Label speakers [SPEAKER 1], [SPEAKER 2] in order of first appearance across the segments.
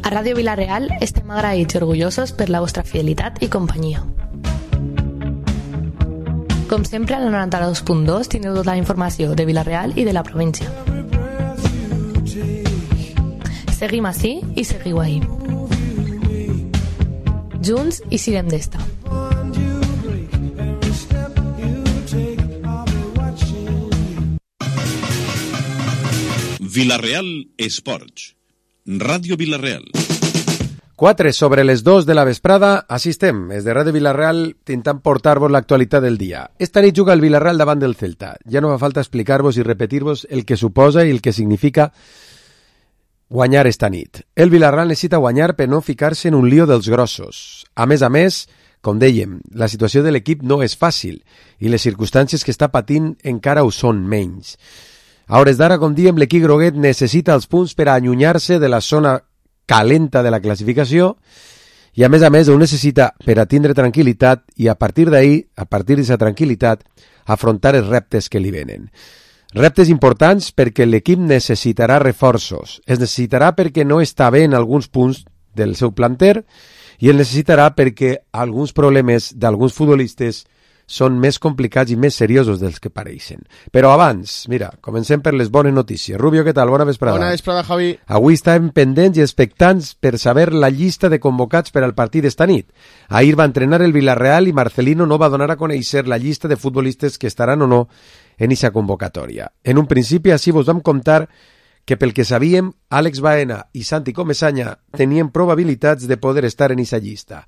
[SPEAKER 1] A Ràdio Vila-real estem agraïts i orgullosos per la vostra fidelitat i companyia. Com sempre, al 92.2 tindreu tota la informació de Vila-real i de la província. Seguim ací i seguiu ahí. Junts i siguem d'esta.
[SPEAKER 2] Vila-real Esports. Ràdio Vila-real.
[SPEAKER 3] 4 sobre les 2 de la vesprada, així estem, des de Ràdio Vila-real, intentant portar-vos l'actualitat del dia. Esta nit juga el Vila-real davant del Celta. Ja no fa falta explicar-vos i repetir-vos el que suposa i el que significa guanyar esta nit. El Vila-real necessita guanyar per no ficar-se en un lío dels grossos. A més, com dèiem, la situació de l'equip no és fàcil i les circumstàncies que està patint encara ho són menys. A hores d'ara, com diem, l'equip groguet necessita els punts per a allunyar-se de la zona calenta de la classificació i a més ho necessita per a tindre tranquil·litat i a partir d'ahir, a partir d'aquesta tranquil·litat, afrontar els reptes que li venen. Reptes importants perquè l'equip necessitarà reforços. Es necessitarà perquè no està bé en alguns punts del seu planter i el necessitarà perquè alguns problemes d'alguns futbolistes són més complicats i més seriosos dels que pareixen. Però abans, mira, comencem per les bones notícies. Rubio, què tal? Bona vesprada.
[SPEAKER 4] Bona vesprada, Javi.
[SPEAKER 3] Avui estàvem pendents i expectants per saber la llista de convocats per al partit d'esta nit. Ahir va entrenar el Villarreal i Marcelino no va donar a conèixer la llista de futbolistes que estaran o no en aquesta convocatòria. En un principi, així vos vam contar que pel que sabíem, Àlex Baena i Santi Comesaña tenien probabilitats de poder estar en aquesta llista.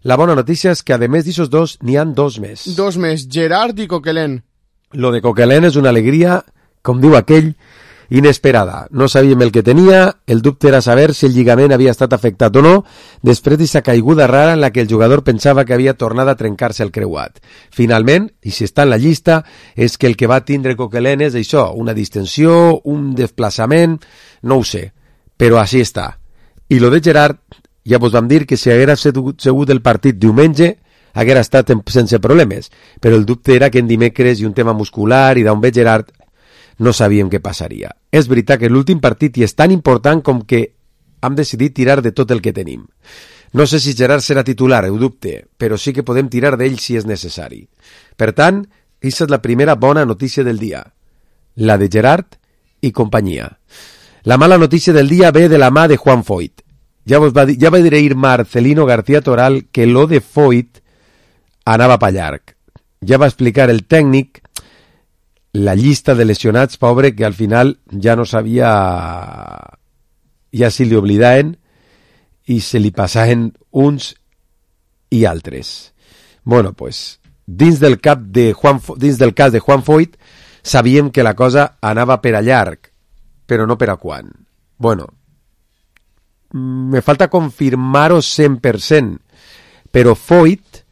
[SPEAKER 3] La bona notícia és que, a més d'aquests dos, n'hi han dos més.
[SPEAKER 4] Dos més, Gerard i Coquelin.
[SPEAKER 3] Lo de Coquelin és una alegria, com diu aquell, inesperada. No sabíem el que tenia, el dubte era saber si el lligament havia estat afectat o no, després d'aquesta caiguda rara en la que el jugador pensava que havia tornat a trencar-se el creuat. Finalment, i si està en la llista, és que el que va tindre Coquelin és això, una distensió, un desplaçament, no ho sé, però així està. I lo de Gerard, ja vos vam dir que si haguera segut el partit diumenge, haguera estat sense problemes, però el dubte era que en dimecres i un tema muscular i d'on ve Gerard no sabíem què passaria. És veritat que l'últim partit i és tan important com que hem decidit tirar de tot el que tenim. No sé si Gerard serà titular, ho dubte, però sí que podem tirar d'ell si és necessari. Per tant, aquesta és la primera bona notícia del dia, la de Gerard i companyia. La mala notícia del dia ve de la mà de Juan Foyt. Ja va dir ahir Marcelino García Toral que lo de Foyt anava pa llarg. Ja va explicar el tècnic la llista de lesionats, pobre, que al final ja no sabia, ja se li oblidaven i se li passaven uns i altres. Bueno, pues, dins del cas de Juan Foyt sabíem que la cosa anava per a llarg, però no per a quan. Bueno, me falta confirmar-ho 100%, però Foyt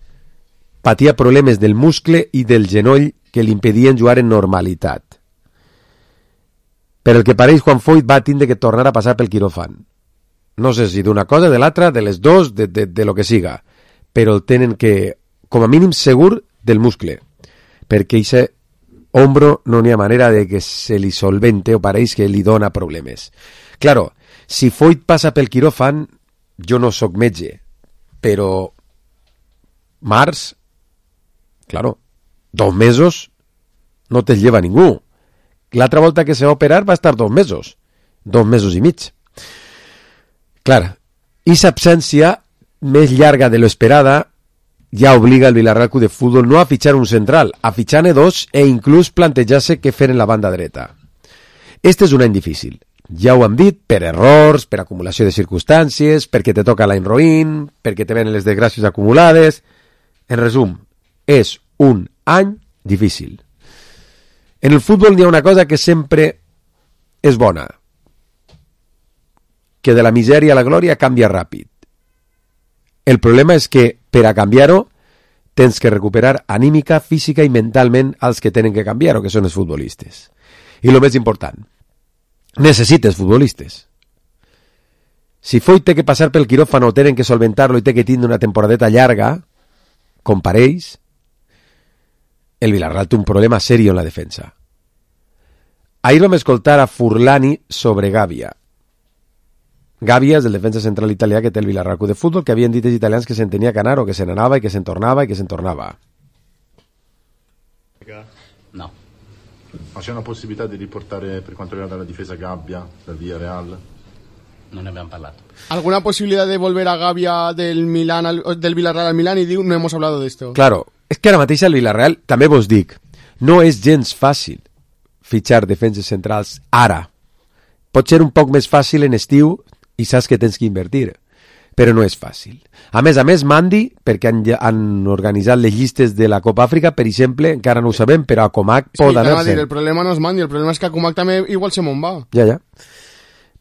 [SPEAKER 3] patia problemes del muscle i del genoll que li impedien jugar en normalitat. Per el que pareix, Juan Foyt va tindre que tornar a passar pel quiròfan. No sé si d'una cosa, de l'altra, de les dos, de lo que siga, però el tenen que, com a mínim segur, del muscle, perquè aquest hombro no n'hi ha manera de que se li solvente o pareix que li dona problemes. Claro, si Foyt passa pel quiròfan, jo no sóc metge, però març, claro, 2 mesos no te'ls lleva ningú. L'altra volta que se va operar va estar 2 mesos i mig. Clar, aquesta absència més llarga de lo esperada ja obliga el Villarreal Club de Fútbol no a fitxar un central, a fitxar-ne 2 e inclús plantejar-se què fer en la banda dreta. Este és un any difícil. Ja ho hem dit, per errors, per acumulació de circumstàncies, perquè te toca l'any roïn, perquè te venen les desgràcies acumulades. En resum, és un any difícil. En el futbol n'hi ha una cosa que sempre és bona, que de la misèria a la glòria canvia ràpid. El problema és que, per a canviar-ho, tens que recuperar anímica, física i mentalment als que tenen que canviar-ho, que són els futbolistes. I el més important, necessites futbolistes. Si Foyt té que passar pel quiròfan o tenen que solventar-lo i té que tindre una temporadeta llarga, com pareix, el Villarreal té un problema serio en la defensa. Ahir vam escoltar a Furlani sobre Gàbia. Gàbia és el defensa central italià que té el Villarreal Club de Futbol, que havien dit els italians que se'n tenia que anar o que se n'anava i que se'n tornava i que se'n tornava.
[SPEAKER 5] No.
[SPEAKER 6] Ma c'è una possibilità di riportare per quanto riguarda la difesa Gabbia dal Villarreal?
[SPEAKER 5] No ne abbiamo parlato.
[SPEAKER 4] ¿Alguna posibilidad de volver a Gavia del Villarreal al Milán? Y digo, no hemos hablado de esto.
[SPEAKER 3] Claro, és que ara mateix el Villarreal, també vos dic, no és gens fàcil fitxar defenses centrals ara. Pot ser un poc més fàcil en estiu i saps que tens que invertir, però no és fàcil. A més, Mandi, perquè han organitzat les llistes de la Copa Àfrica, per exemple, encara no ho sabem, però a Comac pot anar-se.
[SPEAKER 4] El problema no és Mandi, el problema és que a Comac també igual se me'n va.
[SPEAKER 3] Ja.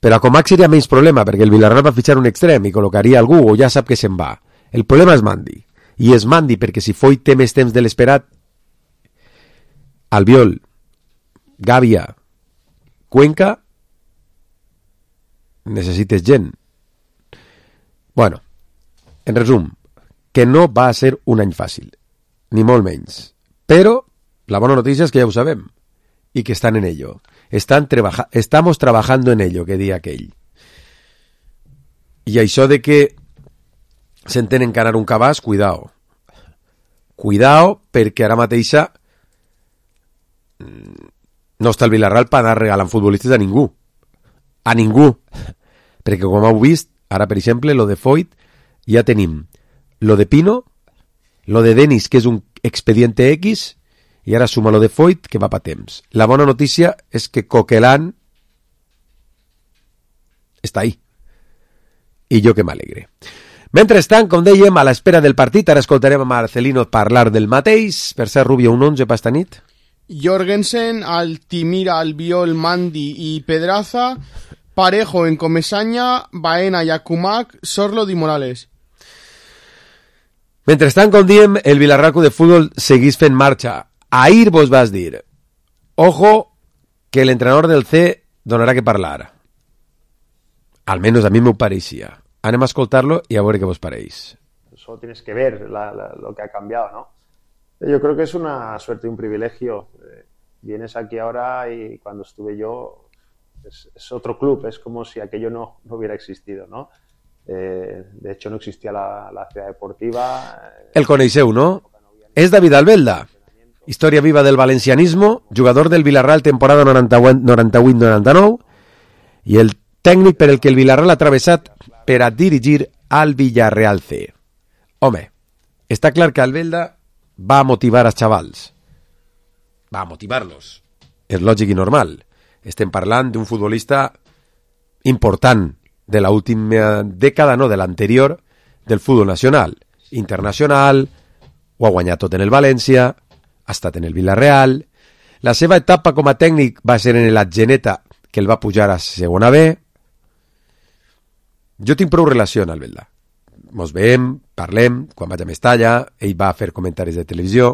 [SPEAKER 3] Però a Comac seria menys problema, perquè el Villarreal va fitxar un extrem i col·locaria algú o ja sap que se'n va. El problema és Mandi. I és Mandi perquè si Foyt té més temps de l'esperat, Albiol, Gàbia, Cuenca, necessites gent. Bueno, en resum, que no va a ser un any fàcil, ni molt menys. Però la bona notícia és que ja ho sabem i que estan en ello. Estamos trabajando en ello, que dia aquell. I això de que s'entén encarar un cabàs, cuidao. Cuidao, perquè ara mateixa no està el Villarreal per anar regalant futbolistes a ningú. A ningú. Perquè com heu vist, ara per exemple, lo de Foyt, ja tenim lo de Pino, lo de Denis, que és un expediente X, i ara suma lo de Foyt, que va pa temps. La bona notícia és que Coquelin està ahí. I jo que m'alegre. Mentrestant, com dèiem, a l'espera del partit, ara escoltarem a Marcelino parlar del mateix. Per ser Rubio, un 11 pa esta nit.
[SPEAKER 4] Jorgensen, Altimira, Albiol, Mandi y Pedraza, Parejo en Comesaña, Baena, Yacumac, Sorlo y Morales.
[SPEAKER 3] Mentrestant, com diem, el Villarreal Club de Futbol seguís fent marxa. Ahir vos vas dir, ojo, que l'entrenador del C donarà que parlar. Almenys a mi m'ho pareixia. Anem a escoltar-lo y a veure què vos pareix.
[SPEAKER 7] Solo tienes que ver lo que ha cambiado, ¿no? Yo creo que es una suerte y un privilegio. Vienes aquí ahora y cuando estuve yo es otro club, es como si aquello no hubiera existido, ¿no? De hecho no existía la ciudad deportiva.
[SPEAKER 3] El coneixeu, no? És David Albelda, història viva del valencianismo, jugador del Villarreal temporada 98-99 i el tècnic per el que el Villarreal ha travessat per a dirigir al Villarreal C. Home, està clar que Albelda va a motivar als xavals. Va a motivar-los. És lògic i normal. Estem parlant d'un futbolista important de l'última dècada, no, de l'anterior, del futbol nacional. Internacional, ho ha guanyat tot en el València, ha estat en el Villarreal. La seva etapa com a tècnic va ser en l'Atgeneta, que el va pujar a segona B. Jo tinc prou relació amb Albelda. Mos veiem, parlem, quan vaig a Mestalla, ell va fer comentaris de televisió.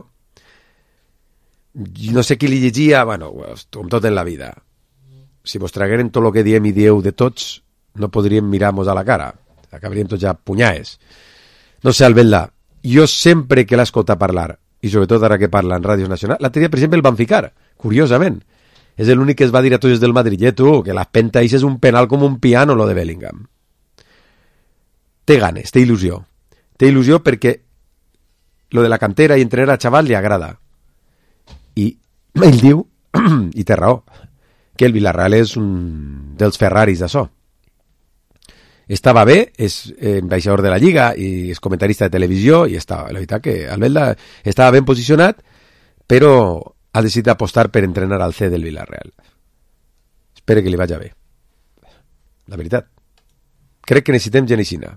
[SPEAKER 3] No sé qui li llegia, bueno, com tot en la vida. Si vos tragueren tot el que diem i dieu de tots, no podríem mirar-nos a la cara. Acabaríem tots ja punyaes. No sé, Albelda, jo sempre que l'he escoltat parlar, i sobretot ara que parla en Ràdios Nacional, l'altre dia, per exemple, el van ficar, curiosament. És l'únic que es va dir a tots del Madrillet, que l'espenta és un penal com un piano, lo de Bellingham. Té ganes, té il·lusió. Té il·lusió perquè lo de la cantera i entrenar a xaval li agrada. I ell diu, i té raó, que el Villarreal és un dels Ferraris d'això. Estava bé, és ambaixador de la Lliga i és comentarista de televisió i estava, la veritat que Albelda estava ben posicionat, però ha decidit apostar per entrenar al C del Villarreal. Espero que li vagi bé. La veritat. Crec que necessitem gent aixina.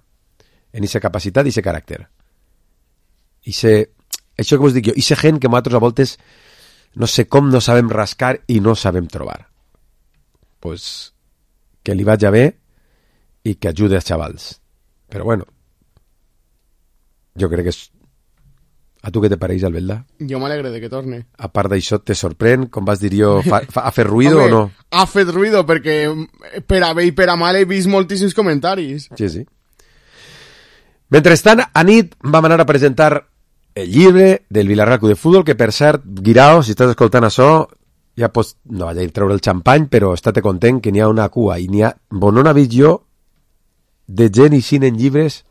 [SPEAKER 3] En aquesta capacitat i aquest caràcter. Això que vos dic jo, aquesta gent que nosaltres a voltes no sé com no sabem rascar i no sabem trobar. Pues que li vagi bé i que ajude als xavals. Però bueno, jo crec que és... A tu què te pareix, Albelda?
[SPEAKER 4] Jo m'alegre de que torne.
[SPEAKER 3] A part d'això, te sorprèn? Com vas dir jo, ha fet ruïdo o no?
[SPEAKER 4] Ha fet ruïdo perquè per a bé i per a mal he vist moltíssims comentaris.
[SPEAKER 3] Sí, sí. Mentrestant, a nit vam anar a presentar el llibre del Villarreal Club de Futbol, que per cert, Guirao, si estàs escoltant això, ja pots, no vaig a ir treure el xampany, però estate content que n'hi ha una cua, i n'hi ha, bon, no n'ha vist jo, de gent eixint en llibres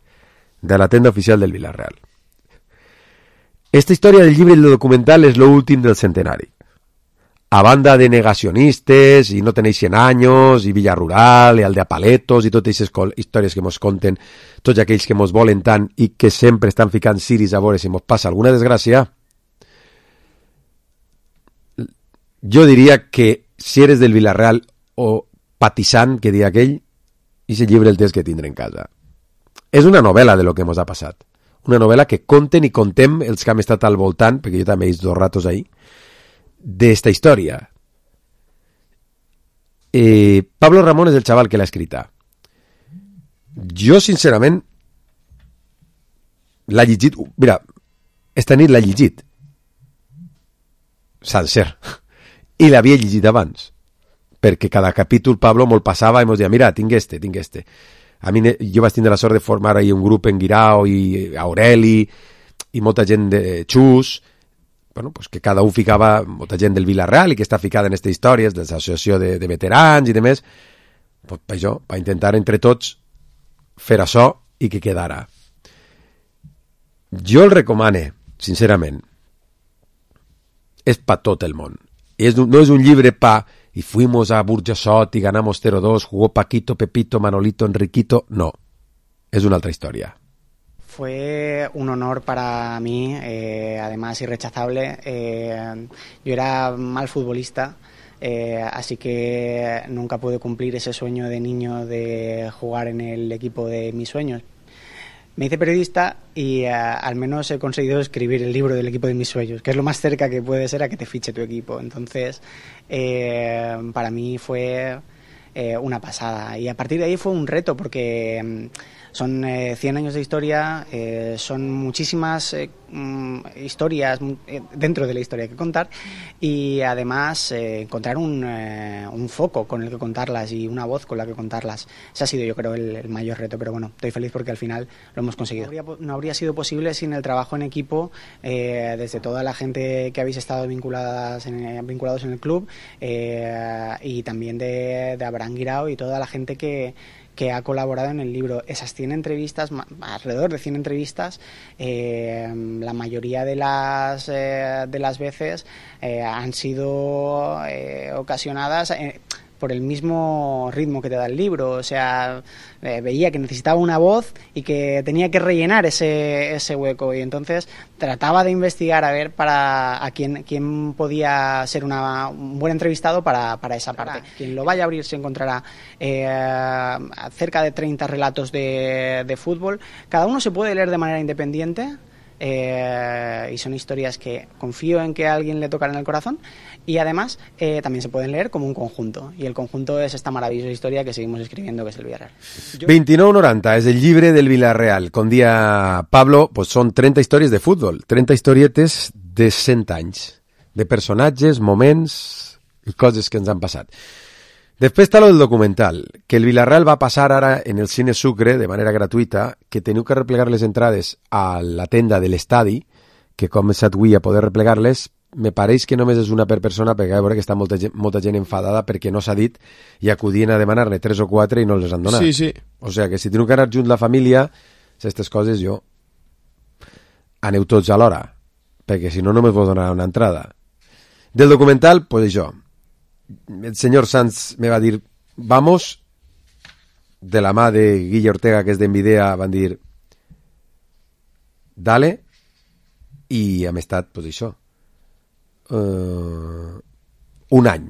[SPEAKER 3] de la tenda oficial del Villarreal. Esta història del llibre i del documental és l'últim del centenari. A banda de negacionistes, i no tenéis 100 anys, i Villa Rural, i Aldea-Paletos, i totes aquestes històries que mos conten tots aquells que mos volen tant i que sempre estan ficant ciris a veure si mos passa alguna desgràcia, jo diria que si eres del Villarreal o patissant, que diria aquell, i aquest llibre el tens que tindre en casa. És una novel·la de lo que mos ha passat. Una novel·la que conten i contem els que hem estat al voltant, perquè jo també he vist 2 ratos ahí, d'esta història. Pablo Ramón és el xaval que l'ha escrita. Jo, sincerament, l'ha llegit... Mira, esta nit l'ha llegit. Sencer. I l'havia llegit abans. Perquè cada capítol Pablo me'l passava i mos deia, mira, tinc este. A mi, jo vaig tindre la sort de formar ahí un grup en Guirao i Aureli i molta gent de Xus, bueno, pues que cada un ficava molta gent del Villarreal i que està ficada en aquestes històries de l'associació de veterans i demés, pues, per això, per intentar entre tots fer això i que quedara. Jo el recomane, sincerament. És pa tot el món. No és un llibre pa y fuimos a Burjasot y ganamos 0-2, jugó Paquito, Pepito, Manolito, Enriquito. No, es una otra historia.
[SPEAKER 8] Fue un honor para mí, además irrechazable. Yo era mal futbolista, así que nunca pude cumplir ese sueño de niño de jugar en el equipo de mis sueños. Me hice periodista y al menos he conseguido escribir el libro del equipo de mis sueños, que es lo más cerca que puede ser a que te fiche tu equipo. Entonces, para mí fue una pasada. Y a partir de ahí fue un reto porque son 100 años de historia, son muchísimas historias dentro de la historia que contar y además encontrar un foco con el que contarlas y una voz con la que contarlas. Ese ha sido, yo creo, el mayor reto, pero bueno, estoy feliz porque al final lo hemos conseguido. No habría sido posible sin el trabajo en equipo desde toda la gente que habéis estado vinculados en el club y también de Abraham Guirao y toda la gente que ha colaborado en el libro. Esas 100 entrevistas, alrededor de 100 entrevistas, la mayoría de las veces han sido ocasionadas por el mismo ritmo que te da el libro. O sea, veía que necesitaba una voz y que tenía que rellenar ese hueco, y entonces trataba de investigar a ver a quién podía ser un buen entrevistado para esa parte. Quien lo vaya a abrir se encontrará cerca de 30 relatos de fútbol. Cada uno se puede leer de manera independiente. Y son historias que confío en que a alguien le tocarán el corazón, y además también se pueden leer como un conjunto, y el conjunto es esta maravillosa historia que seguimos escribiendo, que es el Villarreal.
[SPEAKER 3] 29,90 és el llibre del Villarreal. Com dia Pablo, pues són 30 històries de futbol, 30 historietes de 100 anys, de personatges, moments i coses que ens han passat. Després està lo del documental, que el Villarreal va passar ara en el Cine Sucre de manera gratuïta, que teniu que replegar les entrades a la tenda de l'estadi, que com és avui a poder replegar-les, me pareix que només és una per persona, perquè a veure que està molta gent enfadada perquè no s'ha dit i acudien a demanar-ne 3 o 4 i no les han donat.
[SPEAKER 4] Sí, sí.
[SPEAKER 3] O sigui que si teniu que anar junts la família, aquestes coses jo... Aneu tots alhora, perquè si no només vos donarà una entrada. Del documental, pues això... El señor Sanz me va a decir vamos, de la mà de Guille Ortega, que és d'Envidea, van dir dale, i hem estat, pues això, un any.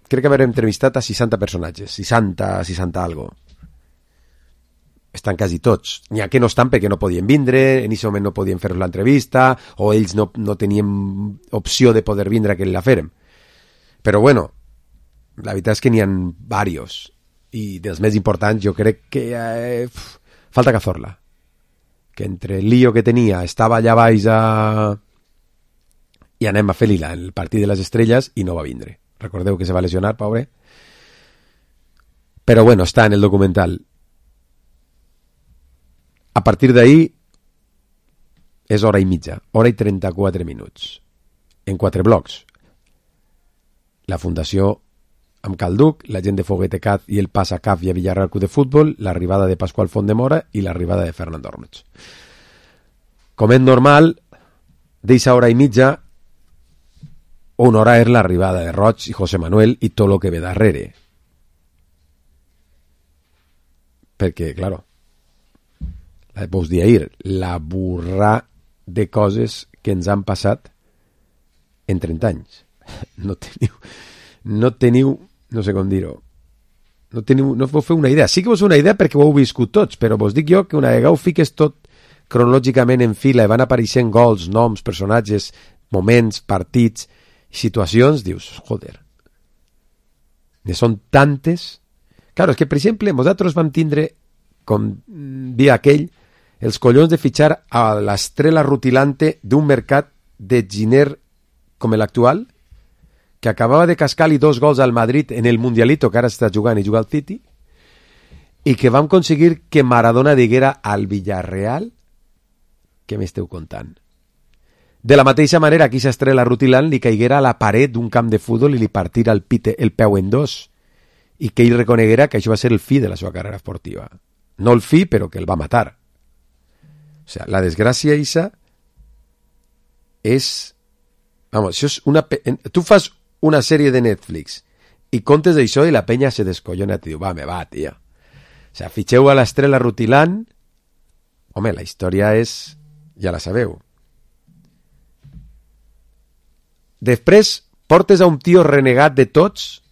[SPEAKER 3] Crec que haver entrevistat a 60 personatges, 60 algo. Estan quasi tots. N'hi ha que no estan perquè no podien vindre, en aquest moment no podien fer l'entrevista, o ells no tenien opció de poder vindre a que la fèrem. Però bueno, la veritat és que n'hi ha varios, i dels més importants jo crec que falta Cazorla, que entre el lío que tenia estava allà baix i anem a fer lila en el partit de les estrelles i no va vindre. Recordeu que se va lesionar, pobre. Però bueno, està en el documental. A partir d'ahí és hora i mitja, hora i 34 minuts, en 4 blocs. La Fundació amb Calduc, la gent de Foguete Caz i el pas a CAF i a Villarreal Club de Futbol, l'arribada de Pasqual Fontdemora i l'arribada de Fernando Ornoch. Com és normal, d'eixa hora i mitja, una hora és l'arribada de Roig i José Manuel i tot el que ve darrere. Perquè, claro, vos dir ahir, la burra de coses que ens han passat en 30 anys. No teniu, no sé com dir-ho, no vos feu una idea. Sí que vos feu una idea perquè ho heu viscut tots, però vos dic jo que una vegada ho fiques tot cronològicament en fila i van apareixent gols, noms, personatges, moments, partits, situacions, dius, joder, ne són tantes. Claro, és que, per exemple, nosaltres vam tindre, com dia aquell, els collons de fitxar a l'estrela rutilante d'un mercat de giner com l'actual, que acabava de cascar-li 2 gols al Madrid en el Mundialito, que ara està jugant i juga al City, i que vam aconseguir que Maradona diguera al Villarreal què m'esteu contant. De la mateixa manera que aquesta estrela rutilant li caiguera a la paret d'un camp de futbol i li partira el peu en 2 i que ell reconeguera que això va ser el fi de la seva carrera esportiva. No el fi, però que el va matar. O sea, la desgràcia isa és... Vamos, això és una... Tu fas una sèrie de Netflix i contes d'això i la penya se descollona i diu, va, tia. O sea, fitxeu a l'estrela rutilant. Home, la història és... Ja la sabeu. Després portes a un tio renegat de tots,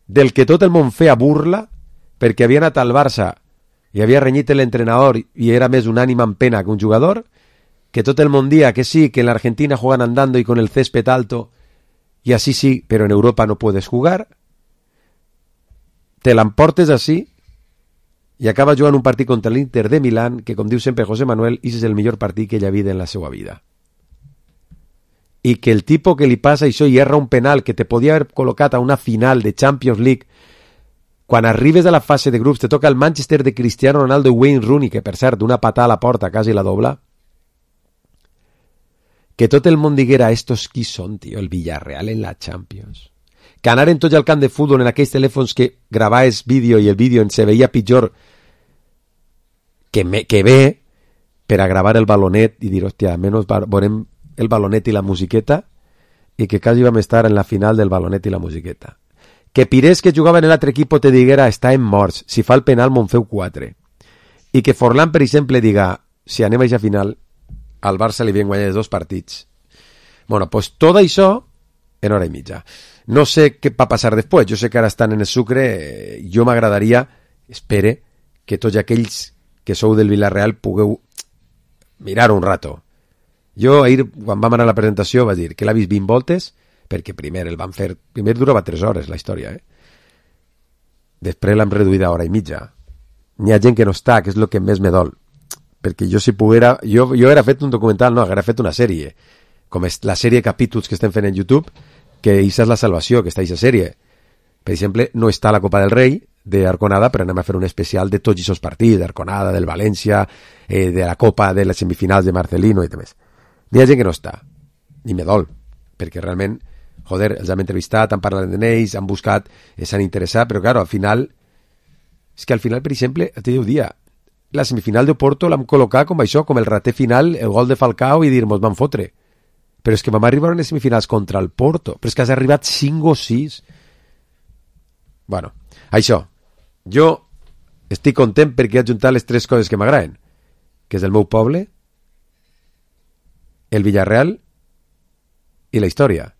[SPEAKER 3] del que tot el món feia burla, perquè havia anat al Barça i havia renyit l'entrenador i era més un ànima en pena que un jugador, que tot el món dia que sí, que en l'Argentina juegan andando y con el césped alto, y así sí, pero en Europa no puedes jugar. Te l'emportes així i acaba jugant un partit contra l'Inter de Milán, que, com diu sempre José Manuel, és el millor partit que ell ha vist en la seva vida. I que el tipus que li passa això i erra un penal que te podia haver col·locat a una final de Champions League, quan arribes a la fase de grups te toca el Manchester de Cristiano Ronaldo i Wayne Rooney, que per cert d'una patada a la porta quasi la dobla, que tot el món diguera estos qui són, tio, el Villarreal en la Champions, que anaren tots al camp de futbol en aquells telèfons que gravaves vídeo i el vídeo se veia pitjor que bé per a gravar el balonet i dir, hòstia, almenys veurem el balonet i la musiqueta, i que quasi vam estar en la final del balonet i la musiqueta. Que Pires, que jugava en l'altre equip, te diguera, està en morts, si fa el penal me'n feu 4. I que Forlán, per exemple, diga, si anem a aquesta final, al Barça li havien guanyat 2 partits. Bueno, pues tot això en hora i mitja. No sé què va passar després, jo sé que ara estan en el sucre, jo m'agradaria, espere, que tots aquells que sou del Villarreal pugueu mirar un rato. Jo ahir, quan vam anar a la presentació, vaig dir que l'ha vist 20 voltes, perquè primer el van fer... Primer durava 3 hores, la història, Després l'hem reduïda a hora i mitja. N'hi ha gent que no està, que és el que més me dol. Perquè jo, si poguera... Jo hauria fet un documental, no, hauria fet una sèrie. Com és la sèrie de capítols que estem fent en YouTube, que això és la salvació, que està aquesta sèrie. Per exemple, no està la Copa del Rei d'Arconada, però anem a fer un especial de tots aquests partits, d'Arconada, del València, de la Copa, de les semifinals de Marcelino i demés. N'hi ha gent que no està, ni me dol, perquè realment, joder, els hem entrevistat, han parlat d'ells, han buscat, s'han interessat, però claro, al final, és que al final, per exemple, te diu dia, la semifinal de Porto l'hem col·locat com això, com el rater final, el gol de Falcao i dir, mos van fotre. Però és que vam arribar a les semifinals contra el Porto, però és que has arribat 5 o 6. Bueno, això, jo estic content perquè he ajuntat les 3 coses que m'agraden, que és el meu poble, el Villarreal i la història.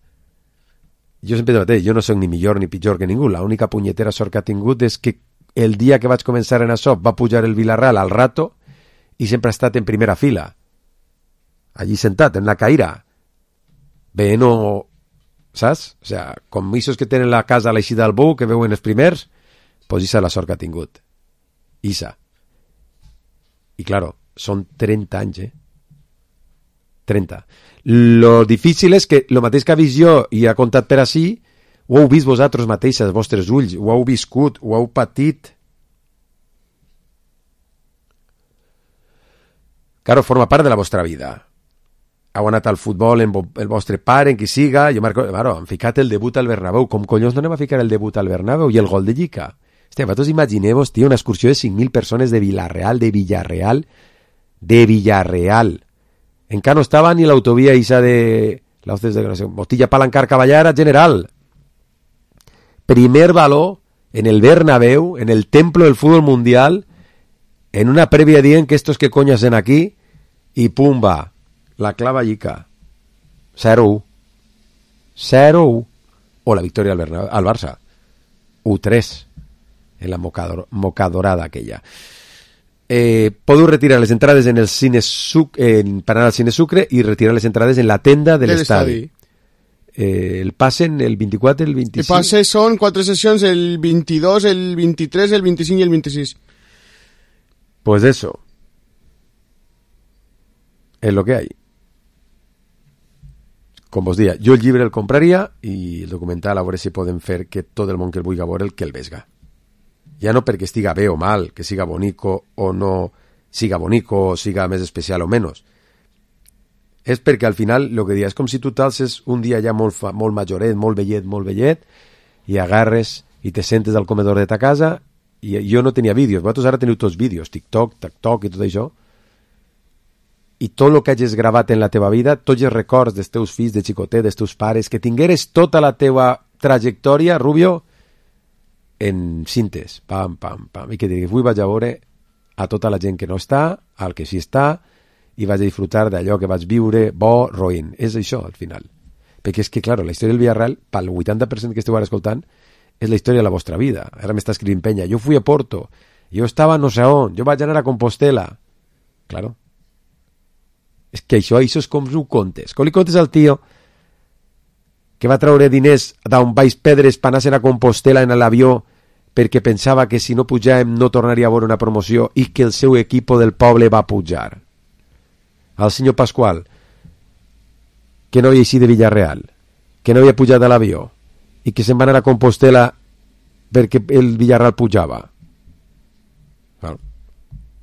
[SPEAKER 3] Jo sempre dic, jo no soc ni millor ni pitjor que ningú, l'única punyetera sort que ha tingut és que el dia que vaig començar en això va pujar el Villarreal al rato i sempre ha estat en primera fila, allí sentat, en la caïra, bé, no... saps? O sea, com ixos que tenen la casa a l'eixida del Bou, que veuen els primers, pues isa la sort que ha tingut. Isa. I claro, són 30 anys, 30. Lo difícil és que lo mateix que ha vist jo i ha contat per ací, ho heu vist vosaltres mateixes, els vostres ulls, ho heu viscut, ho heu patit. Claro, forma part de la vostra vida. heu anat al futbol el vostre pare, en qui siga, jo han ficat el debut al Bernabéu, com collons no anem a ficar el debut al Bernabéu i el gol de Llica? Hòstia, vosaltres imagineu-vos, tio, una excursió de 5.000 persones de Villarreal, encara no estava ni l'autovia isa de Mostilla Palancar Caballara General. Primer baló en el Bernabéu, en el templo del fútbol mundial, en una prèvia dient que estos que coño hacen aquí, i pumba, la clava Llica. 0-1. O la victòria al Barça. 1-3 en la mocadorada aquella. Podeu retirar les entrades en el cine per anar al Cine Sucre i retirar les entrades en la tenda de l'estadi. El passen el 24, el 25...
[SPEAKER 4] El passe són 4 sessions, el 22, el 23, el 25 y el 26.
[SPEAKER 3] Pues eso es lo que hay. Com vos dia, jo el llibre el compraria i el documental a veure si podem fer que tot el món que el vulgui veure el vesga. Ja no perquè estiga bé o mal, que siga bonico o no siga bonico, o siga més especial o menys. És perquè al final el que dia és com si tu t'alces un dia ja molt majoret, molt vellet, i agarres i te sentes al comedor de ta casa, i jo no tenia vídeos, vosaltres ara teniu tots vídeos, TikTok i tot això, i tot el que hagis gravat en la teva vida, tots els records dels teus fills, de xicotet, dels teus pares, que tingueres tota la teva trajectòria, Rubio, en cintes, pam, i que diguis, avui vaig a veure a tota la gent que no està, al que sí està, i vaig a disfrutar d'allò que vaig viure, bo, roïn. És això, al final. Perquè és que, clar, la història del Villarreal, pel 80% que esteu ara escoltant, és la història de la vostra vida. Ara m'està escrivint Penya, jo fui a Porto, jo estava no sé on, jo vaig anar a Compostela. Claro. És que això és com ho contes. Com li contes al tio que va treure diners d'on Baix Pedres per anar a Compostela en l'avió perquè pensava que si no pujàvem no tornaria a veure una promoció i que el seu equip del poble va pujar. Al senyor Pasqual, que no havia eixit de Villarreal, que no havia pujat a l'avió i que se'n va anar a Compostela perquè el Villarreal pujava. Bueno,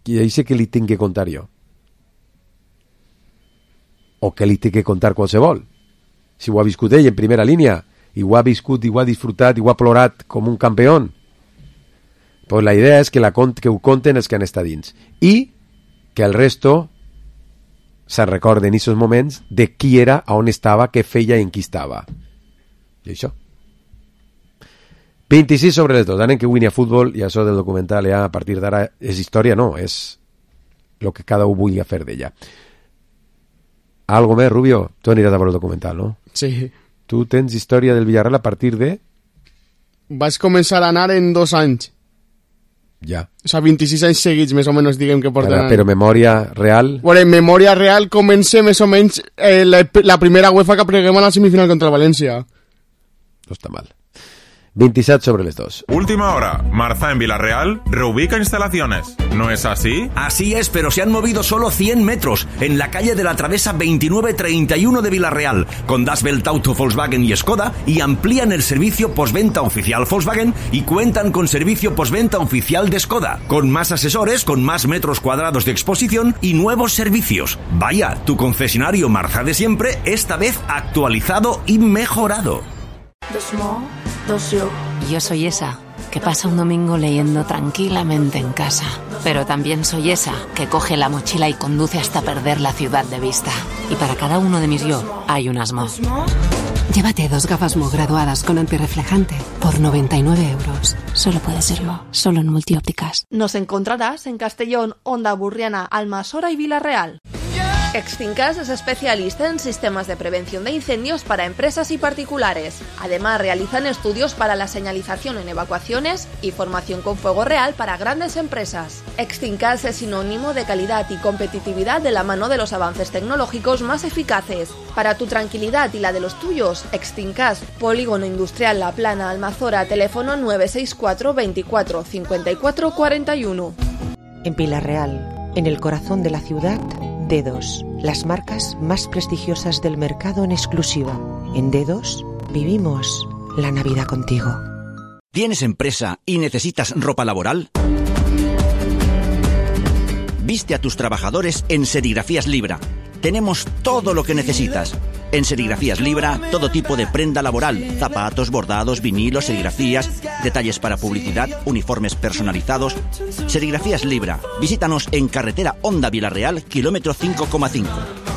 [SPEAKER 3] i això que li tinc que contar jo. O que li tinc que contar qualsevol. Si ho ha viscut ell en primera línia, i ho ha viscut, i ho ha disfrutat, i ho ha plorat com un campió, pues la idea és que ho conten els que han estat dins. I que el resto se'n recorden en aquests moments de qui era, on estava, què feia i en qui estava. I això. 26 sobre les 2. Anem que Winnie a futbol i això del documental ja a partir d'ara és història, no, és el que cada un vulgui fer d'ella. Algo més, Rubio? Tu aniràs a veure el documental, no?
[SPEAKER 4] Sí.
[SPEAKER 3] Tu tens història del Villarreal a partir de...
[SPEAKER 4] Vaig començar a anar en 2 anys.
[SPEAKER 3] Ja.
[SPEAKER 4] O sea, 26 anys seguits, més o menys, diguem que porten...
[SPEAKER 3] Però memòria real...
[SPEAKER 4] Bueno, en memòria real comença més o menys la primera UEFA que preguem a la semifinal contra el València.
[SPEAKER 3] No està mal. 27 sobre les 2.
[SPEAKER 9] Última hora. Marza en Villarreal reubica instalaciones. ¿No es así?
[SPEAKER 10] Así es, pero se han movido solo 100 metros en la calle de la Travesa 2931 de Villarreal, con Das Welt Auto, Volkswagen y Skoda, y amplían el servicio postventa oficial Volkswagen y cuentan con servicio postventa oficial de Skoda, con más asesores, con más metros cuadrados de exposición y nuevos servicios. Vaya, tu concesionario Marza de siempre, esta vez actualizado y mejorado.
[SPEAKER 11] Yo soy esa que pasa un domingo leyendo tranquilamente en casa. Pero también soy esa que coge la mochila y conduce hasta perder la ciudad de vista. Y para cada uno de mis yo hay un Mo. Llévate 2 gafas Mo graduadas con antirreflejante por 99 euros. Solo puede ser Mo, solo en Multiópticas.
[SPEAKER 12] Nos encontrarás en Castellón, Onda Burriana, Almasora y Villarreal. Extincas es especialista en sistemas de prevención de incendios para empresas y particulares. Además, realizan estudios para la señalización en evacuaciones y formación con fuego real para grandes empresas. Extincas es sinónimo de calidad y competitividad de la mano de los avances tecnológicos más eficaces. Para tu tranquilidad y la de los tuyos, Extincas, Polígono Industrial La Plana, Almazora, teléfono 964 24 54 41.
[SPEAKER 13] En Villarreal, en el corazón de la ciudad, Dedos, las marcas más prestigiosas del mercado en exclusiva. En Dedos vivimos la Navidad contigo.
[SPEAKER 10] ¿Tienes empresa y necesitas ropa laboral? Viste a tus trabajadores en Serigrafías Libra. tenemos todo lo que necesitas. En Serigrafías Libra, todo tipo de prenda laboral, zapatos, bordados, vinilos, serigrafías, detalles para publicidad, uniformes personalizados. Serigrafías Libra. Visítanos en carretera Honda Vilarreal, kilómetro 5,5.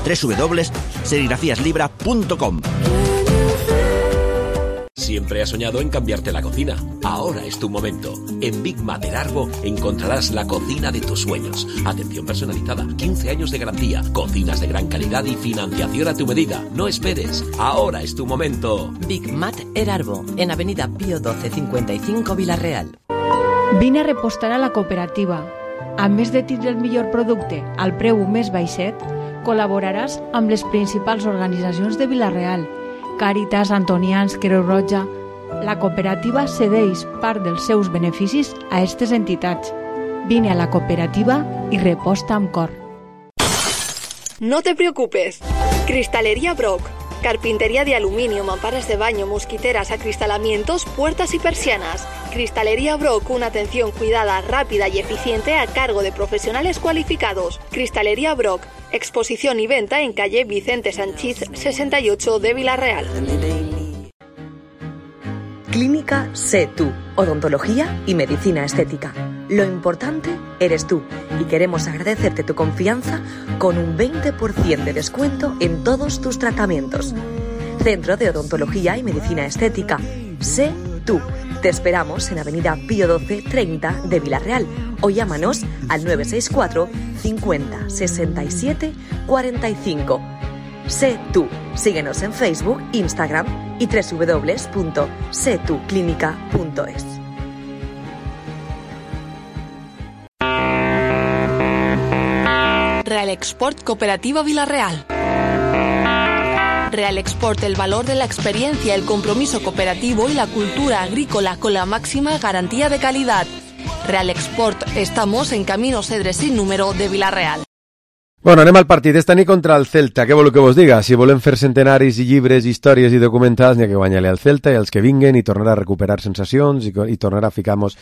[SPEAKER 10] www.serigrafíaslibra.com.
[SPEAKER 14] Siempre has soñado en cambiarte la cocina. Ahora es tu momento. En Big Mat del Arbo encontrarás la cocina de tus sueños. Atención personalizada, 15 años de garantía, cocinas de gran calidad y financiación a tu medida. No esperes. Ahora es tu momento.
[SPEAKER 15] Big Mat del Arbo, en Avenida Pío 12 55 Vilarreal.
[SPEAKER 16] Vine a repostar a la cooperativa. A més de tindre el millor producte al preu més baixet, col·laboraràs amb les principals organitzacions de Vilareal, Càritas, Antonians, Creu Roja. La cooperativa cedeix part dels seus beneficis a aquestes entitats. Vine a la cooperativa i reposta amb cor.
[SPEAKER 12] No te preocupes. Cristalería Brock. Carpintería de aluminio, mamparas de baño, mosquiteras, acristalamientos, puertas y persianas. Cristalería Brock, una atención cuidada, rápida y eficiente a cargo de profesionales cualificados. Cristalería Brock, exposición y venta en calle Vicente Sanchís 68 de Vilarreal.
[SPEAKER 17] Clínica Sé Tú, odontología y medicina estética. Lo importante eres tú y queremos agradecerte tu confianza con un 20% de descuento en todos tus tratamientos. Centro de Odontología y Medicina Estética. Sé Tú. Te esperamos en Avenida Pío 12 30 de Vilarreal o llámanos al 964 50 67 45. Sé Tú. Síguenos en Facebook, Instagram y www.setuclinica.es.
[SPEAKER 12] Real Export Cooperativa Vilarreal. Real Export, el valor de la experiencia, el compromiso cooperativo y la cultura agrícola con la máxima garantía de calidad. Real Export, estamos en Camino Cedre sin número de Vilarreal.
[SPEAKER 3] Bueno, anem al partit esta nit contra el Celta. Què voleu que vos diga? Si volem fer centenaris i llibres, històries i documentals, n'hi ha que guanyar-li al Celta i els que vinguen i tornar a recuperar sensacions i tornar a ficar-nos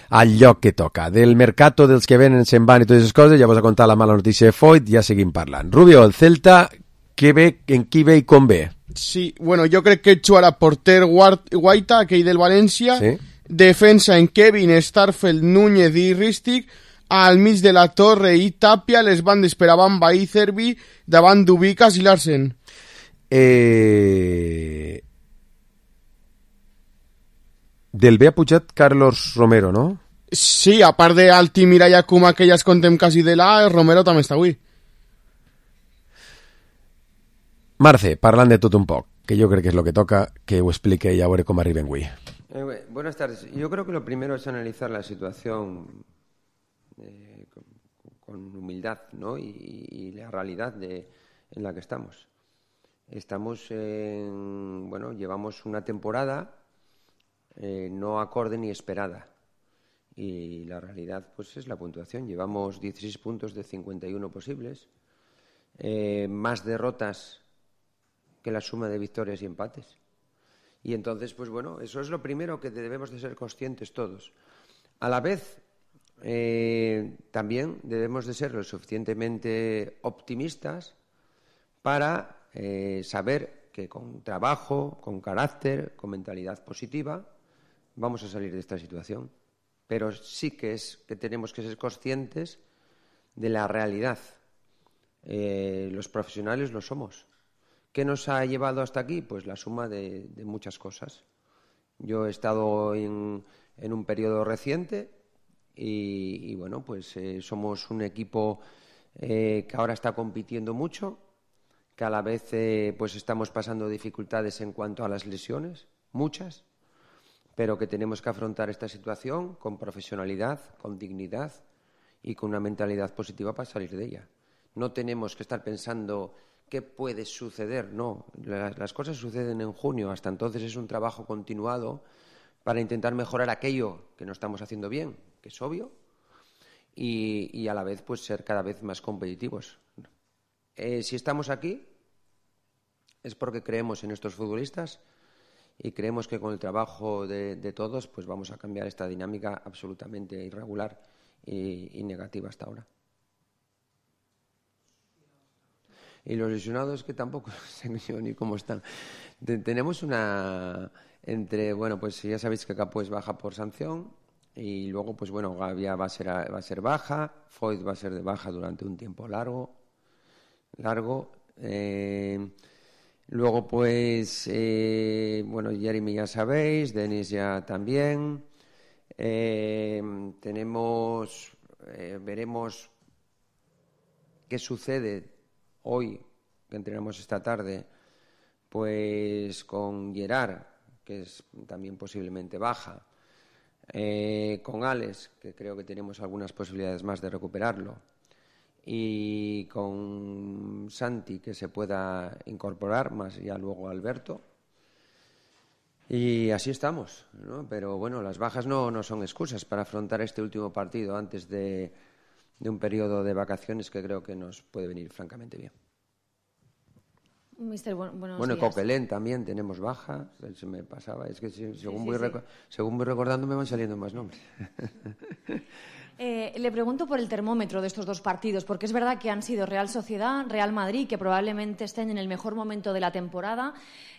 [SPEAKER 3] al lloc que toca. Del mercato, dels que venen, se'n van i totes aquestes coses, ja vos ha contat la mala notícia de Foyt, ja seguim parlant. Rubio, el Celta, què ve, en qui ve i com ve?
[SPEAKER 4] Sí, bueno, jo crec que jugarà porter Guaita, aquell del València, sí. Defensa en Kevin, Starfelt, Núñez i Ristic, al mig de la Torre i Tapia, les bandes per a Bamba i Cervi, davant d'Ubicas i Larsen.
[SPEAKER 3] Del B ha pujat Carlos Romero, no?
[SPEAKER 4] Sí, a part d'Altimira i Akuma, que ja es contem quasi de la, Romero també està avui.
[SPEAKER 3] Marce, parlant de tot un poc, que yo creo que es lo que toca, que ho explique y a veure com arriben avui.
[SPEAKER 18] Buenas tardes. Yo creo que lo primero es analizar la situación con humildad, ¿no? y la realidad en la que estamos. Estamos llevamos una temporada no acorde ni esperada. Y la realidad pues es la puntuación. Llevamos 16 puntos de 51 posibles, más derrotas que la suma de victorias y empates. Y entonces, pues bueno, eso es lo primero que debemos de ser conscientes todos. A la vez, también debemos de ser lo suficientemente optimistas para saber que con trabajo, con carácter, con mentalidad positiva, vamos a salir de esta situación. Pero sí que tenemos que ser conscientes de la realidad. Los profesionales lo somos. ¿Qué nos ha llevado hasta aquí? Pues la suma de muchas cosas. Yo he estado en un periodo reciente y bueno, pues somos un equipo que ahora está compitiendo mucho, que a la vez pues estamos pasando dificultades en cuanto a las lesiones, muchas, pero que tenemos que afrontar esta situación con profesionalidad, con dignidad y con una mentalidad positiva para salir de ella. No tenemos que estar pensando qué puede suceder, no. Las cosas suceden en junio, hasta entonces es un trabajo continuado para intentar mejorar aquello que no estamos haciendo bien, que es obvio, y a la vez pues ser cada vez más competitivos. Si estamos aquí es porque creemos en estos futbolistas y creemos que con el trabajo de todos pues vamos a cambiar esta dinámica absolutamente irregular y negativa hasta ahora. Y los lesionados que tampoco sé yo ni cómo están. Tenemos una... Bueno, pues ya sabéis que Capó es baja por sanción y luego, pues bueno, Gavia va a ser baja, Foyt va a ser de baja durante un tiempo largo. Luego, pues, bueno, Jeremy ya sabéis, Denis ya también. Veremos qué sucede hoy, que entrenamos esta tarde, pues con Gerard, que es también posiblemente baja, con Alex, que creo que tenemos algunas posibilidades más de recuperarlo, y con Santi, que se pueda incorporar, más ya luego Alberto. Y así estamos, ¿no? Pero bueno, las bajas no son excusas para afrontar este último partido antes de un periodo de vacaciones que creo que nos puede venir francamente bien.
[SPEAKER 19] Mister, buenos
[SPEAKER 18] bueno,
[SPEAKER 19] días.
[SPEAKER 18] Coquelin también tenemos baja, se me pasaba, es que según voy recordando me van saliendo más nombres.
[SPEAKER 19] Le pregunto por el termómetro de estos dos partidos, porque es verdad que han sido Real Sociedad, Real Madrid, que probablemente estén en el mejor momento de la temporada.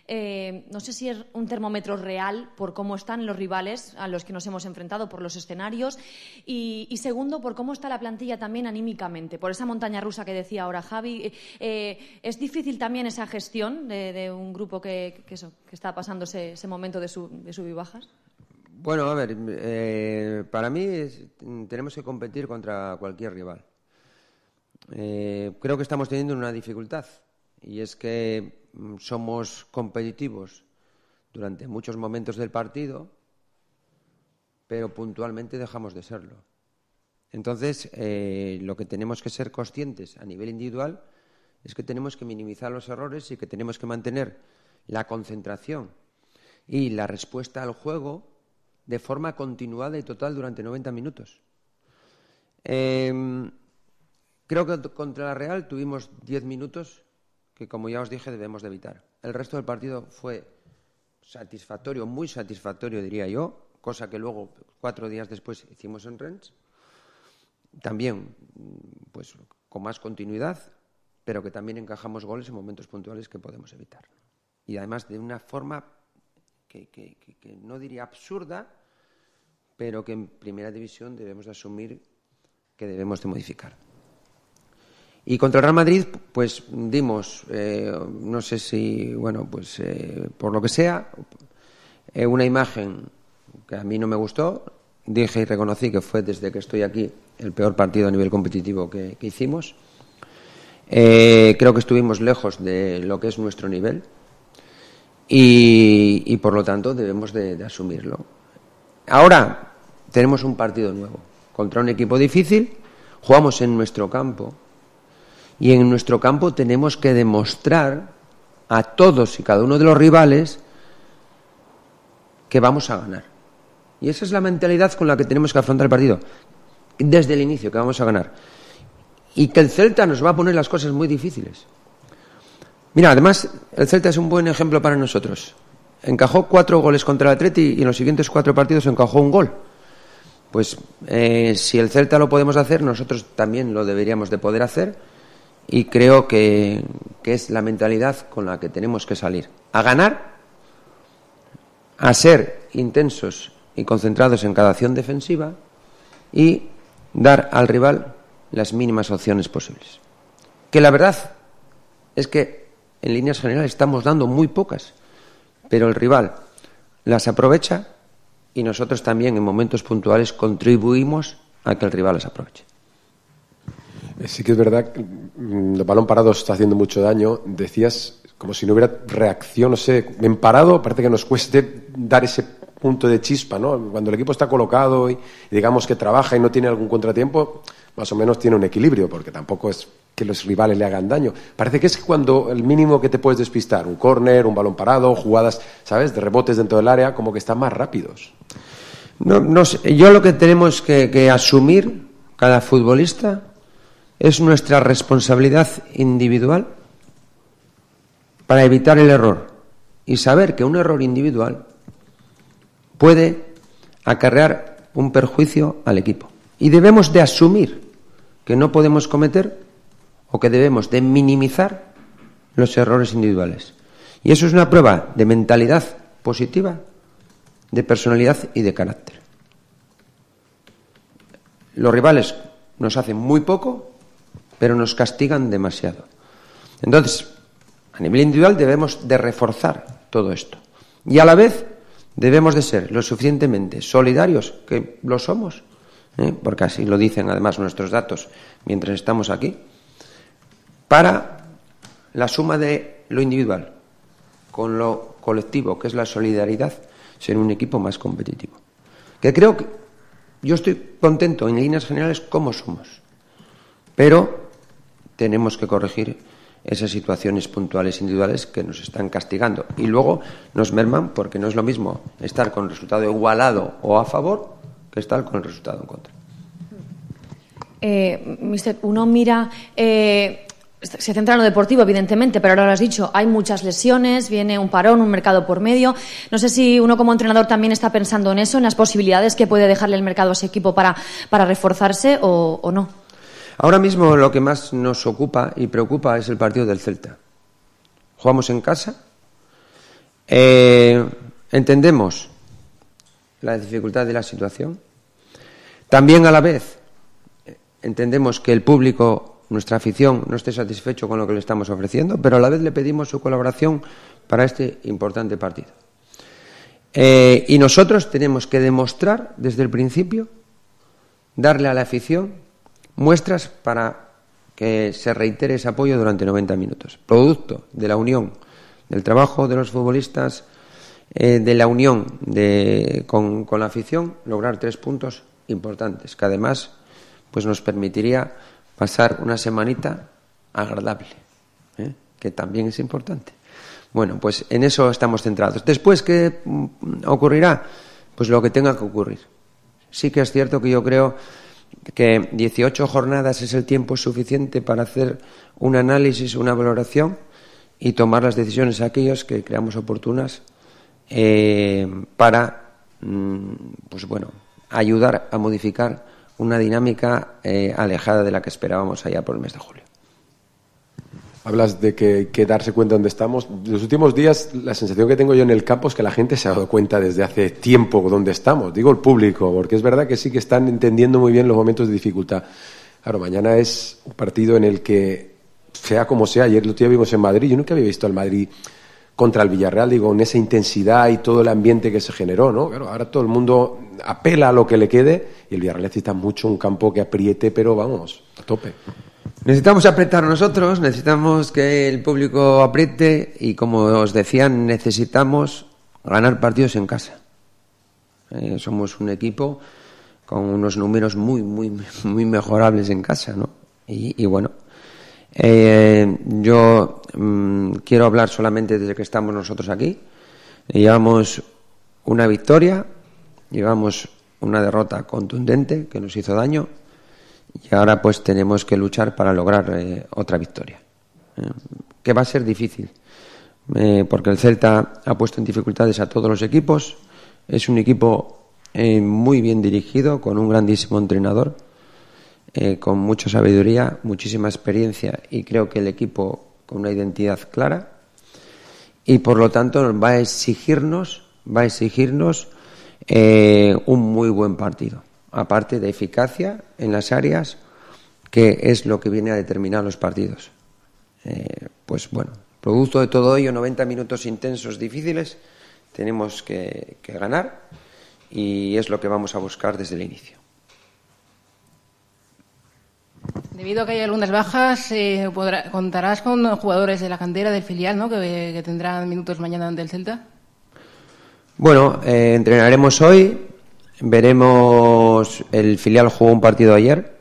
[SPEAKER 19] No sé si es un termómetro real por cómo están los rivales a los que nos hemos enfrentado, por los escenarios, y segundo, por cómo está la plantilla también anímicamente, por esa montaña rusa que decía ahora Javi. ¿Es difícil también esa gestión de un grupo que está pasando ese momento de sub y bajas?
[SPEAKER 18] Bueno, a ver, para mí tenemos que competir contra cualquier rival. Creo que estamos teniendo una dificultad y es que somos competitivos durante muchos momentos del partido, pero puntualmente dejamos de serlo. Entonces, lo que tenemos que ser conscientes a nivel individual es que tenemos que minimizar los errores y que tenemos que mantener la concentración y la respuesta al juego de forma continuada y total durante 90 minutos. Creo que contra la Real tuvimos 10 minutos que, como ya os dije, debemos de evitar. El resto del partido fue satisfactorio, muy satisfactorio, diría yo, cosa que luego, 4 días después, hicimos en Rennes. También, pues, con más continuidad, pero que también encajamos goles en momentos puntuales que podemos evitar. Y además de una forma que no diría absurda, pero que en primera división debemos de asumir que debemos de modificar. Y contra el Real Madrid, pues dimos, no sé si, bueno, pues por lo que sea, una imagen que a mí no me gustó. Dije y reconocí que fue, desde que estoy aquí, el peor partido a nivel competitivo que hicimos. Creo que estuvimos lejos de lo que es nuestro nivel. Y por lo tanto debemos de asumirlo. Ahora tenemos un partido nuevo contra un equipo difícil, jugamos en nuestro campo y en nuestro campo tenemos que demostrar a todos y cada uno de los rivales que vamos a ganar. Y esa es la mentalidad con la que tenemos que afrontar el partido desde el inicio, que vamos a ganar. Y que el Celta nos va a poner las cosas muy difíciles. Mira, además, el Celta es un buen ejemplo para nosotros. Encajó 4 goles contra el Atleti y en los siguientes 4 partidos encajó un gol. Pues si el Celta lo podemos hacer, nosotros también lo deberíamos de poder hacer, y creo que es la mentalidad con la que tenemos que salir. A ganar, a ser intensos y concentrados en cada acción defensiva y dar al rival las mínimas opciones posibles. Que la verdad es que en líneas generales estamos dando muy pocas, pero el rival las aprovecha y nosotros también en momentos puntuales contribuimos a que el rival las aproveche.
[SPEAKER 3] Sí que es verdad que el balón parado está haciendo mucho daño. Decías como si no hubiera reacción, no sé, en parado parece que nos cueste dar ese punto de chispa, ¿no? Cuando el equipo está colocado y digamos que trabaja y no tiene algún contratiempo, más o menos tiene un equilibrio, porque tampoco es que los rivales le hagan daño. Parece que es cuando el mínimo que te puedes despistar, un córner, un balón parado, jugadas, ¿sabes?, de rebotes dentro del área, como que están más rápidos.
[SPEAKER 18] No sé, yo lo que tenemos que asumir cada futbolista es nuestra responsabilidad individual para evitar el error y saber que un error individual puede acarrear un perjuicio al equipo. Y debemos de asumir que no podemos cometer o que debemos de minimizar los errores individuales. Y eso es una prueba de mentalidad positiva, de personalidad y de carácter. Los rivales nos hacen muy poco, pero nos castigan demasiado. Entonces, a nivel individual debemos de reforzar todo esto. Y a la vez debemos de ser lo suficientemente solidarios, que lo somos, porque así lo dicen además nuestros datos mientras estamos aquí, para la suma de lo individual con lo colectivo, que es la solidaridad, ser un equipo más competitivo. Que creo que yo estoy contento en líneas generales como somos, pero tenemos que corregir esas situaciones puntuales individuales que nos están castigando y luego nos merman, porque no es lo mismo estar con el resultado igualado o a favor que estar con el resultado en contra.
[SPEAKER 19] Mister, uno mira, se centra en lo deportivo, evidentemente, pero ahora lo has dicho, hay muchas lesiones, viene un parón, un mercado por medio. No sé si uno como entrenador también está pensando en eso, en las posibilidades que puede dejarle el mercado a ese equipo para reforzarse o no.
[SPEAKER 18] Ahora mismo lo que más nos ocupa y preocupa es el partido del Celta. Jugamos en casa, entendemos la dificultad de la situación, también a la vez entendemos que el público, nuestra afición, no esté satisfecho con lo que le estamos ofreciendo, pero a la vez le pedimos su colaboración para este importante partido. Y nosotros tenemos que demostrar desde el principio, darle a la afición muestras para que se reitere ese apoyo durante 90 minutos. Producto de la unión del trabajo de los futbolistas, de la unión con la afición, lograr 3 puntos importantes, que además pues nos permitiría pasar una semanita agradable, que también es importante. Bueno, pues en eso estamos centrados. Después, ¿qué ocurrirá? Pues lo que tenga que ocurrir. Sí que es cierto que yo creo que 18 jornadas es el tiempo suficiente para hacer un análisis, una valoración y tomar las decisiones aquellas que creamos oportunas para pues bueno, ayudar a modificar una dinámica alejada de la que esperábamos allá por el mes de julio.
[SPEAKER 3] Hablas de que darse cuenta dónde estamos. Los últimos días la sensación que tengo yo en el campo es que la gente se ha dado cuenta desde hace tiempo dónde estamos. Digo el público, porque es verdad que sí que están entendiendo muy bien los momentos de dificultad. Claro, mañana es un partido en el que, sea como sea, ayer lo vimos en Madrid, yo nunca había visto al Madrid contra el Villarreal, digo, en esa intensidad y todo el ambiente que se generó, ¿no? Claro, ahora todo el mundo apela a lo que le quede y el Villarreal necesita mucho un campo que apriete, pero vamos, a tope.
[SPEAKER 18] Necesitamos apretar nosotros, necesitamos que el público apriete y, como os decía, necesitamos ganar partidos en casa. Somos un equipo con unos números muy mejorables en casa, ¿no? Y bueno, yo quiero hablar solamente desde que estamos nosotros aquí. Llevamos una victoria, llevamos una derrota contundente que nos hizo daño. Y ahora pues tenemos que luchar para lograr otra victoria, que va a ser difícil, porque el Celta ha puesto en dificultades a todos los equipos. Es un equipo muy bien dirigido, con un grandísimo entrenador, con mucha sabiduría, muchísima experiencia, y creo que el equipo con una identidad clara, y por lo tanto va a exigirnos un muy buen partido, aparte de eficacia en las áreas, que es lo que viene a determinar los partidos. Pues bueno, producto de todo ello, 90 minutos intensos, difíciles, tenemos que ganar, y es lo que vamos a buscar desde el inicio.
[SPEAKER 20] Debido a que hay algunas bajas, ¿contarás con jugadores de la cantera del filial, ¿no? que tendrán minutos mañana ante el Celta?
[SPEAKER 18] Bueno, entrenaremos hoy. Veremos, el filial jugó un partido ayer,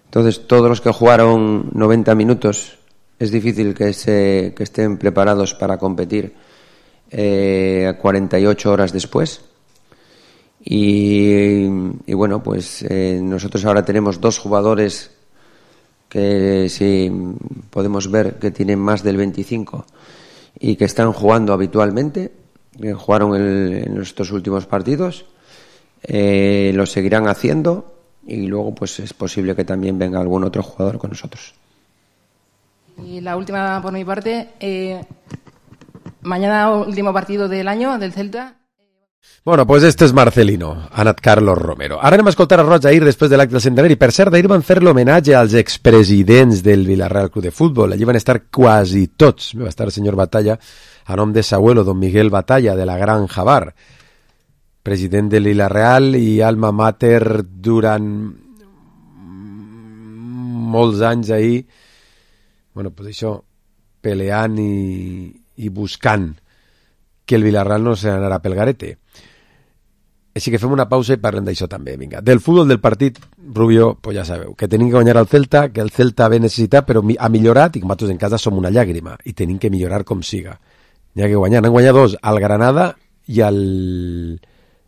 [SPEAKER 18] entonces todos los que jugaron 90 minutos es difícil que estén preparados para competir 48 horas después. Y bueno, pues nosotros ahora tenemos 2 jugadores que sí podemos ver que tienen más del 25 y que están jugando habitualmente, que jugaron en estos últimos partidos. Lo seguirán haciendo y luego pues es posible que también venga algún otro jugador con nosotros.
[SPEAKER 20] Y la última por mi parte, mañana último partido del año del Celta.
[SPEAKER 3] Bueno, pues este és Marcelino, ha anat Carlos Romero. Ara anem a escoltar a Roig ahir després de l'acte del centenari. Per cert, ahir van fer l'homenatge als expresidents del Villarreal Club de Futbol. Allí van estar quasi tots. Va estar el senyor Batalla, a nom de Sabuelo, don Miguel Batalla, de la Granja Bar, president del Villarreal i alma mater durant molts anys ahir, bueno, pues això, peleant i buscant que el Villarreal no se n'anarà pel garete. Així que fem una pausa i parlem d'això també, vinga. Del futbol del partit, Rubio, pues ja sabeu, que tenim que guanyar al Celta, que el Celta ve necessitat, però ha millorat, i que nosaltres en casa som una llàgrima, i tenim que millorar com siga. N'hi ha que guanyar. Han guanyat 2, al Granada i al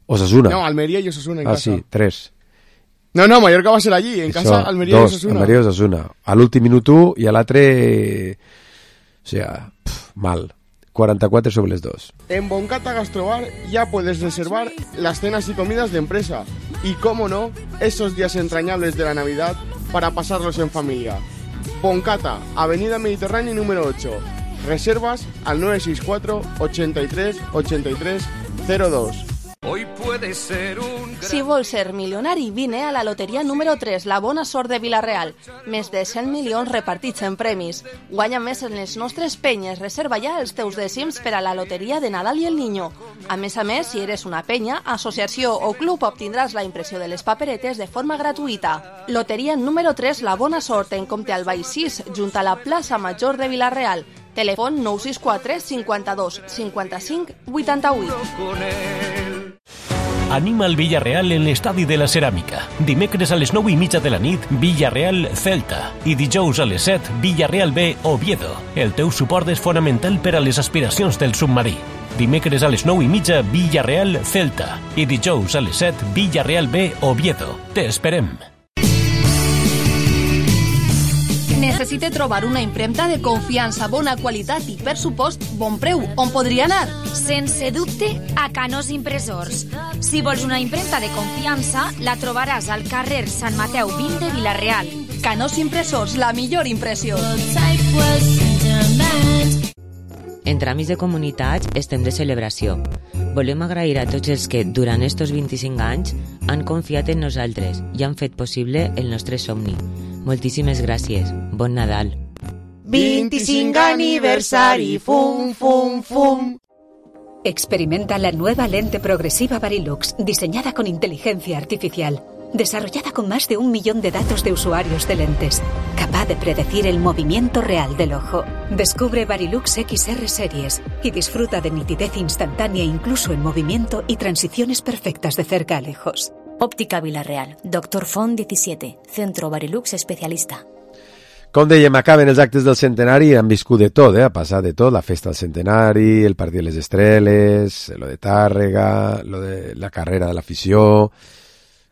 [SPEAKER 3] Osasuna.
[SPEAKER 4] No, Almería y Osasuna en casa.
[SPEAKER 3] Sí, 3.
[SPEAKER 4] No, Mallorca va ser allí, en casa Almería y Osasuna.
[SPEAKER 3] Almería y Osasuna. A l'últim minut 1 i a l'altre... O sea, mal. 44 sobre les 2.
[SPEAKER 4] En Boncata Gastrobar ya puedes reservar las cenas y comidas de empresa. Y cómo no, esos días entrañables de la Navidad para pasarlos en familia. Boncata, Avenida Mediterránea número 8. Reservas al 964 83 83 02.
[SPEAKER 21] Hoy puede ser un...
[SPEAKER 12] Si vols ser milionari, vine a la loteria número 3, la bona sort de Vila-real. Més de 100 milions repartits en premis. Guanya més en les nostres penyes. Reserva ja els teus dècims per a la loteria de Nadal i el Niño. A més, si eres una penya, associació o club, obtindràs la impressió de les paperetes de forma gratuïta. Loteria número 3, la bona sort, en compte al Baix 6, junt a la plaça Major de Vila-real. Telèfon 964 52 55 88.
[SPEAKER 22] Anima el Villarreal en l'estadi de la Ceràmica. Dimecres a les 9:30 de la nit, Villarreal Celta. I dijous a les 7, Villarreal B Oviedo. El teu suport és fonamental per a les aspiracions del submarí. Dimecres a les 9:30, Villarreal Celta. I dijous a les 7, Villarreal B Oviedo. Te esperem.
[SPEAKER 12] Necessite trobar una impremta de confiança, bona qualitat i, per supost, bon preu. On podria anar?
[SPEAKER 23] Sense dubte, a Canós Impressors. Si vols una impremta de confiança, la trobaràs al carrer Sant Mateu 20 de Vila-real.
[SPEAKER 12] Canós Impressors, la millor impressió.
[SPEAKER 24] En tràmits de comunitats estem de celebració. Volem agrair a tots els que, durant estos 25 anys, han confiat en nosaltres i han fet possible el nostre somni. Moltíssimes gràcies. Bon Nadal.
[SPEAKER 25] 25 aniversari, fum, fum, fum.
[SPEAKER 26] Experimenta la nueva lente progresiva Varilux, diseñada con inteligencia artificial, desarrollada con más de 1 millón de datos de usuarios de lentes, capaz de predecir el movimiento real del ojo. Descubre Varilux XR Series y disfruta de nitidez instantánea incluso en movimiento y transiciones perfectas de cerca a lejos.
[SPEAKER 27] Óptica Vila-real. Dr. Font 17. Centro Varilux especialista.
[SPEAKER 3] Com dèiem, acaben els actes del centenari, han viscut de tot, ha passat de tot, la festa del centenari, el partit de les Estreles, lo de Tàrrega, lo de la carrera de l'afició.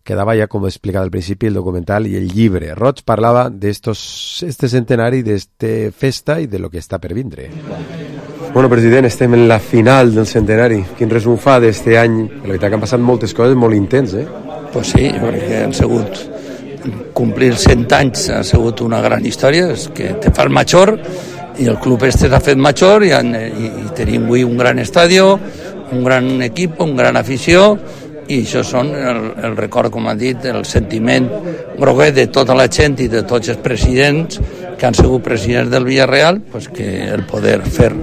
[SPEAKER 3] Quedava ja, com he explicat al principi, el documental i el llibre. Roig parlava d'este centenari, d'esta festa i de lo que està per vindre. Bueno, president, estem en la final del centenari. Quin resum fa d'este any? La veritat que han passat moltes coses molt intenses,
[SPEAKER 28] Pues sí, perquè han sigut complir 100 anys ha sigut una gran història, és que te fas major i el club este s'ha fet major i tenim avui un gran estadi, un gran equip, un gran afició i això són el record, com han dit, el sentiment groguet de tota la gent i de tots els presidents que han sigut presidents del Villarreal, pues que el poder fer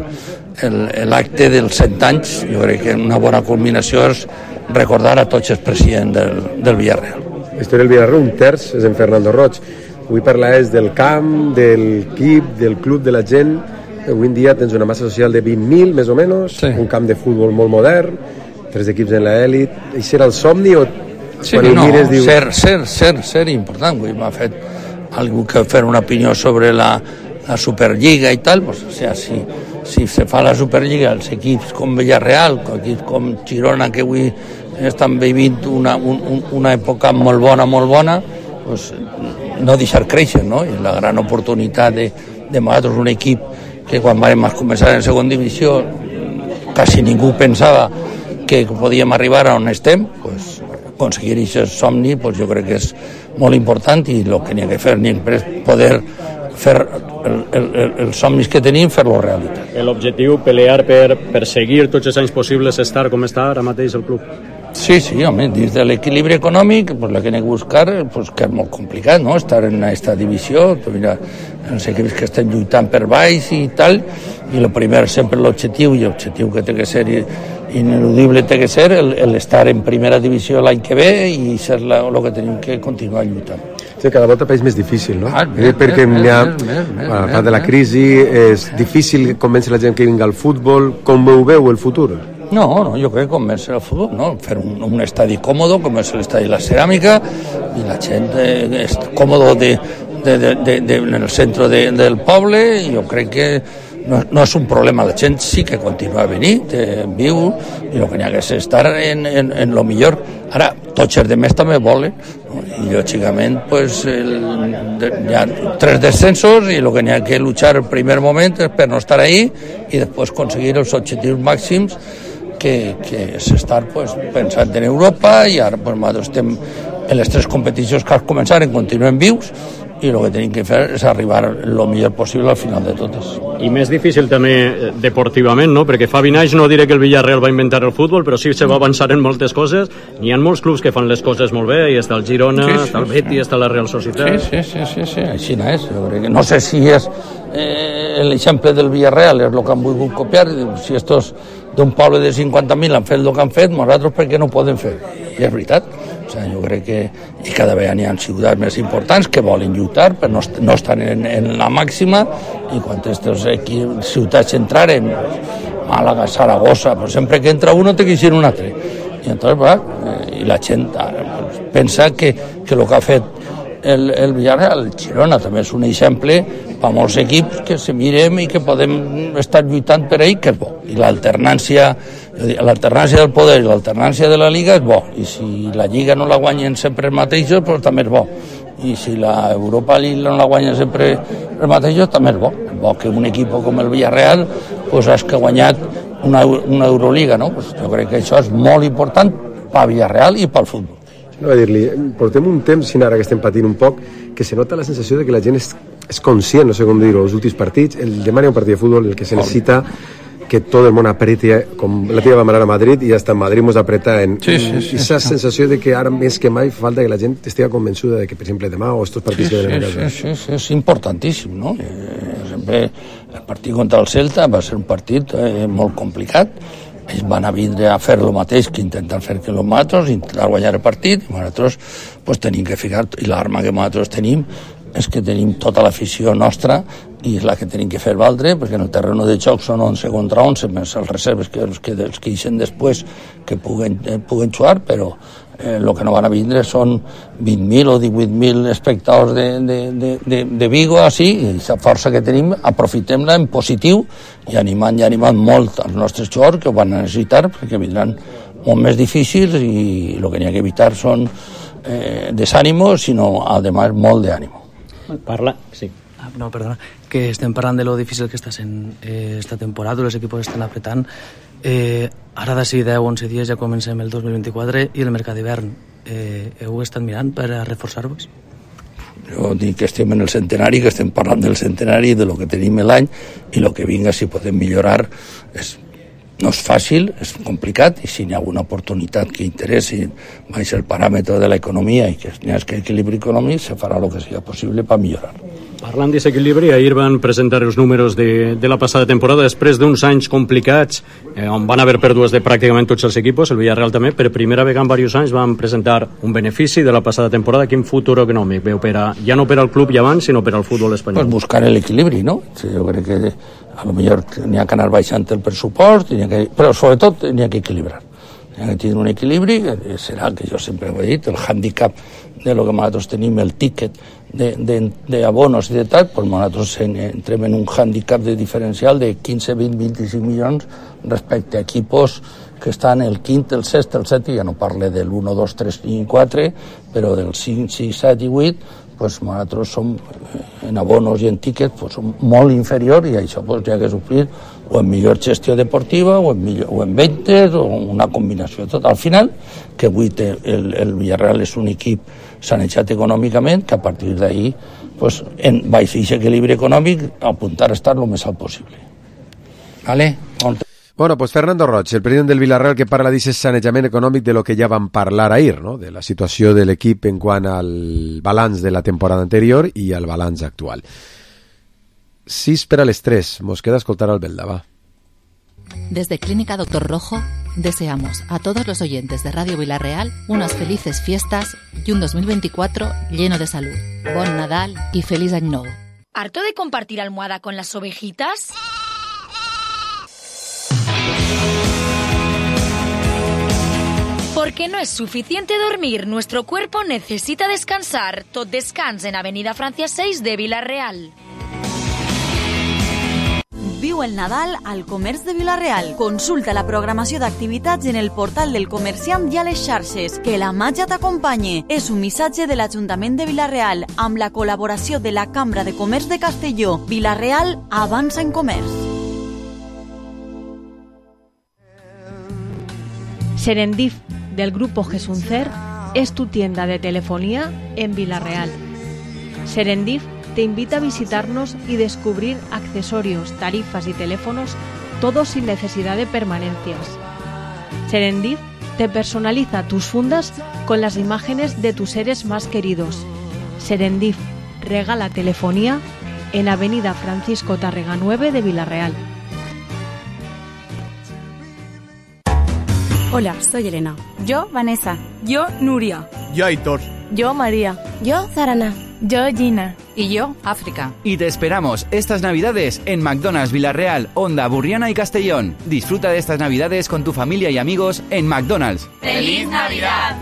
[SPEAKER 28] l'acte dels 100 anys, jo crec que una bona culminació és recordar a tots els presidents del Villarreal.
[SPEAKER 3] La història del Villarreal, un terç és en Fernando Roig. Avui parlaràs del camp, del equip, del club, de la gent. Avui en dia tens una massa social de 20.000, més o menys, sí. Un camp de futbol molt modern, 3 equips en l'elit. Això era el somni o
[SPEAKER 28] sí, quan no, mires, diu... ser important. Avui m'ha fet algú que fer una opinió sobre la Superliga i tal, pues, o sea, si se fa la Superliga, els equips com Villarreal, equips com Girona, que avui estan vivint una època molt bona, pues, no deixar créixer, no? I la gran oportunitat de nosaltres, un equip que quan vam començar en segona divisió quasi ningú pensava que podíem arribar a on estem, pues, aconseguir aquest somni, pues, jo crec que és molt important i el que n'hi ha que fer és poder fer els somnis que tenim, fer-los realitat.
[SPEAKER 1] L'objectiu, pelear per seguir tots els anys possibles, estar com està ara mateix el club?
[SPEAKER 28] Sí, home, dins de l'equilibri econòmic, pues, la que anem a buscar, pues, que és molt complicat, no?, estar en aquesta divisió. Mira, els equips que estan lluitant per baix i tal, i el primer sempre l'objectiu, i l'objectiu que té que ser ineludible té que ser l'estar en primera divisió l'any que ve i ser el que tenim que continuar lluitant.
[SPEAKER 3] Sí, cada volta és més difícil, no? Perquè a part de la crisi és difícil convèncer la gent que vingui al futbol. Com ho veu el futur?
[SPEAKER 28] No, jo crec que convèncer el futbol, no? Fer un estadi còmodo, com és l'estadi de la Ceràmica, i la gent és còmodo en el centre del poble, i jo crec que no és un problema. La gent sí que continua a venir, viu, i el que n'hi ha que és estar en lo millor. Ara, tots els demés també volen, no? I lògicament pues, hi ha 3 descensos i el que n'hi ha que luchar el primer moment és per no estar ahí i després aconseguir els objectius màxims que és estar pues, pensant en Europa, i ara pues, nosaltres estem en les 3 competicions que començaren, continuem vius, i el que tenim que fer és arribar el millor possible al final de totes.
[SPEAKER 1] I més difícil també deportivament, no? Perquè fa 20 anys no diré que el Villarreal va inventar el futbol, però sí se va avançar en moltes coses. N'hi ha molts clubs que fan les coses molt bé, i està el Girona, està el Betis, està la Real Societat.
[SPEAKER 28] Sí, així no és. Jo crec que no sé si és l'exemple del Villarreal, és el que han volgut copiar. Si estos d'un poble de 50.000 han fet el que han fet, nosaltres per què no poden fer? I és veritat. O sigui, jo crec que cada vegada hi ha ciutats més importants que volen lluitar, però no estan en la màxima, i quan aquestes ciutats entraren, Màlaga, Saragossa, però sempre que entra uno té que ser un altre. I entonces, i la gent pensa que el que ha fet el Villarreal, el Girona també és un exemple per molts equips que se mirem i que podem estar lluitant per ell, que és bo. I l'alternància del poder i l'alternància de la Liga és bo, i si la Lliga no la guanyen sempre els mateixos, doncs també és bo, i si la Europa League no la guanyen sempre els mateixos, també és bo. És bo que un equip com el Villarreal pues, hagi guanyat una Euroliga, no? Pues jo crec que això és molt important pel Villarreal i pel futbol.
[SPEAKER 3] No, a dir-li, portem un temps, si ara que estem patint un poc, que se nota la sensació de que la gent és conscient, no sé com dir-ho, els últims partits, demà hi ha un partit de futbol, el que se necessita que tot el món apreti, com la tia va manar a Madrid, i hasta Madrid mos apreta en aquesta sensació de que ara més que mai falta que la gent estigui convençuda de que, per exemple, demà o estos partits que venen a casa.
[SPEAKER 28] És importantíssim, no? Sempre el partit contra el Celta va ser un partit molt complicat. Ells van a vindre a fer el mateix que intentar fer que els altres, intentar guanyar el partit, i nosaltres pues, tenim que ficar, i l'arma que nosaltres tenim és que tenim tota l'afició nostra i és la que tenim que fer valdre, perquè en el terreny de joc són 11 contra 11, més els reserves que els que ixen després que puguen jugar, però el que no van a vindre són 20.000 o 18.000 espectadors de Vigo, així, i aquesta força que tenim aprofitem-la en positiu i animant molt els nostres jugadors que ho van necessitar, perquè vindran molt més difícils, i el que n'hi ha que evitar són desànimos, sinó además molt d'ànimo.
[SPEAKER 1] Sí.
[SPEAKER 2] No, perdona, que estem parlant de lo difícil que està sent esta temporada, els equips estan apretant. Ara d'ací 10-11 dies ja comencem el 2024 i el mercat d'hivern. Heu estat mirant per a reforçar-vos?
[SPEAKER 28] Jo dic que estem en el centenari, que estem parlant del centenari, de lo que tenim l'any, i el que vinga, si podem millorar, no és fàcil, és complicat, i si hi ha alguna oportunitat que interessi baix el paràmetre de l'economia i que hi ha aquest equilibri econòmic, se farà el que sigui possible per millorar.
[SPEAKER 1] Parlant d'aquest equilibri, ahir van presentar els números de la passada temporada després d'uns anys complicats, on van haver pèrdues de pràcticament tots els equips, el Villarreal també, per primera vegada en diversos anys van presentar un benefici de la passada temporada. Quin futur econòmic veu ja no per al club i abans, sinó per al futbol espanyol?
[SPEAKER 28] Pues buscar l'equilibri, no? Jo crec que a lo millor n'hi ha que anar baixant el pressupost, però sobretot n'hi ha que equilibrar. N'hi ha que tenir un equilibri, que serà, que jo sempre ho he dit, el hàndicap de lo que nosaltres tenim, el tíquet d'abonos i de tal, doncs nosaltres entrem en un hàndicap de diferencial de 15, 20, 25 milions respecte a equipos que estan el quint, el sexte, el set, i ja no parle del 1, 2, 3 i 4, però del 5, 6, 7 i 8, pues nosaltres som en abonos i en tíquets pues, som molt inferior, i això pues, ja que suplir o en millor gestió deportiva o en ventes o una combinació de tot. Al final, que avui el Villarreal és un equip sanejat econòmicament, que a partir d'ahir pues, en baix equilibri econòmic, apuntar a estar lo més alt possible. ¿Vale?
[SPEAKER 3] Bueno, pues Fernando Roig, el president del Villarreal, que parla d'aquest sanejament econòmic de lo que ja vam parlar ahir, no? De la situació de l'equip en quant al balanç de la temporada anterior i al balanç actual. 6 per a les 3. Mos queda escoltar al Belda, va.
[SPEAKER 5] Desde Clínica Doctor Rojo deseamos a todos los oyentes de Radio Villarreal unas felices fiestas y un 2024 lleno de salud. Bon Nadal y feliz año nuevo.
[SPEAKER 23] ¿Harto de compartir almohada con las ovejitas? Porque no es suficiente dormir, nuestro cuerpo necesita descansar. Tot Descans en Avenida Francia 6 de Vila-real.
[SPEAKER 6] Viu el Nadal al Comerç de Vila-real. Consulta la programació d'activitats en el portal del comerciant i a les xarxes. Que la màgia t'acompanyi. És un missatge de l'Ajuntament de Vila-real amb la col·laboració de la Cambra de Comerç de Castelló. Vila-real avança en comerç.
[SPEAKER 16] Serendip del Grupo Gesuncer es tu tienda de telefonía en Vila-real. Serendip te invita a visitarnos y descubrir accesorios, tarifas y teléfonos, todo sin necesidad de permanencias. Serendip te personaliza tus fundas con las imágenes de tus seres más queridos. Serendip regala telefonía en Avenida Francisco Tárrega 9 de Vila-real.
[SPEAKER 7] Hola, soy Elena. Yo, Vanessa. Yo, Nuria.
[SPEAKER 8] Yo, Aitor.
[SPEAKER 7] Yo, María. Yo, Zarana. Yo, Gina.
[SPEAKER 5] Y yo, África.
[SPEAKER 9] Y te esperamos estas Navidades en McDonald's Vila-real, Onda, Burriana y Castellón. Disfruta de estas Navidades con tu familia y amigos en McDonald's.
[SPEAKER 7] ¡Feliz Navidad!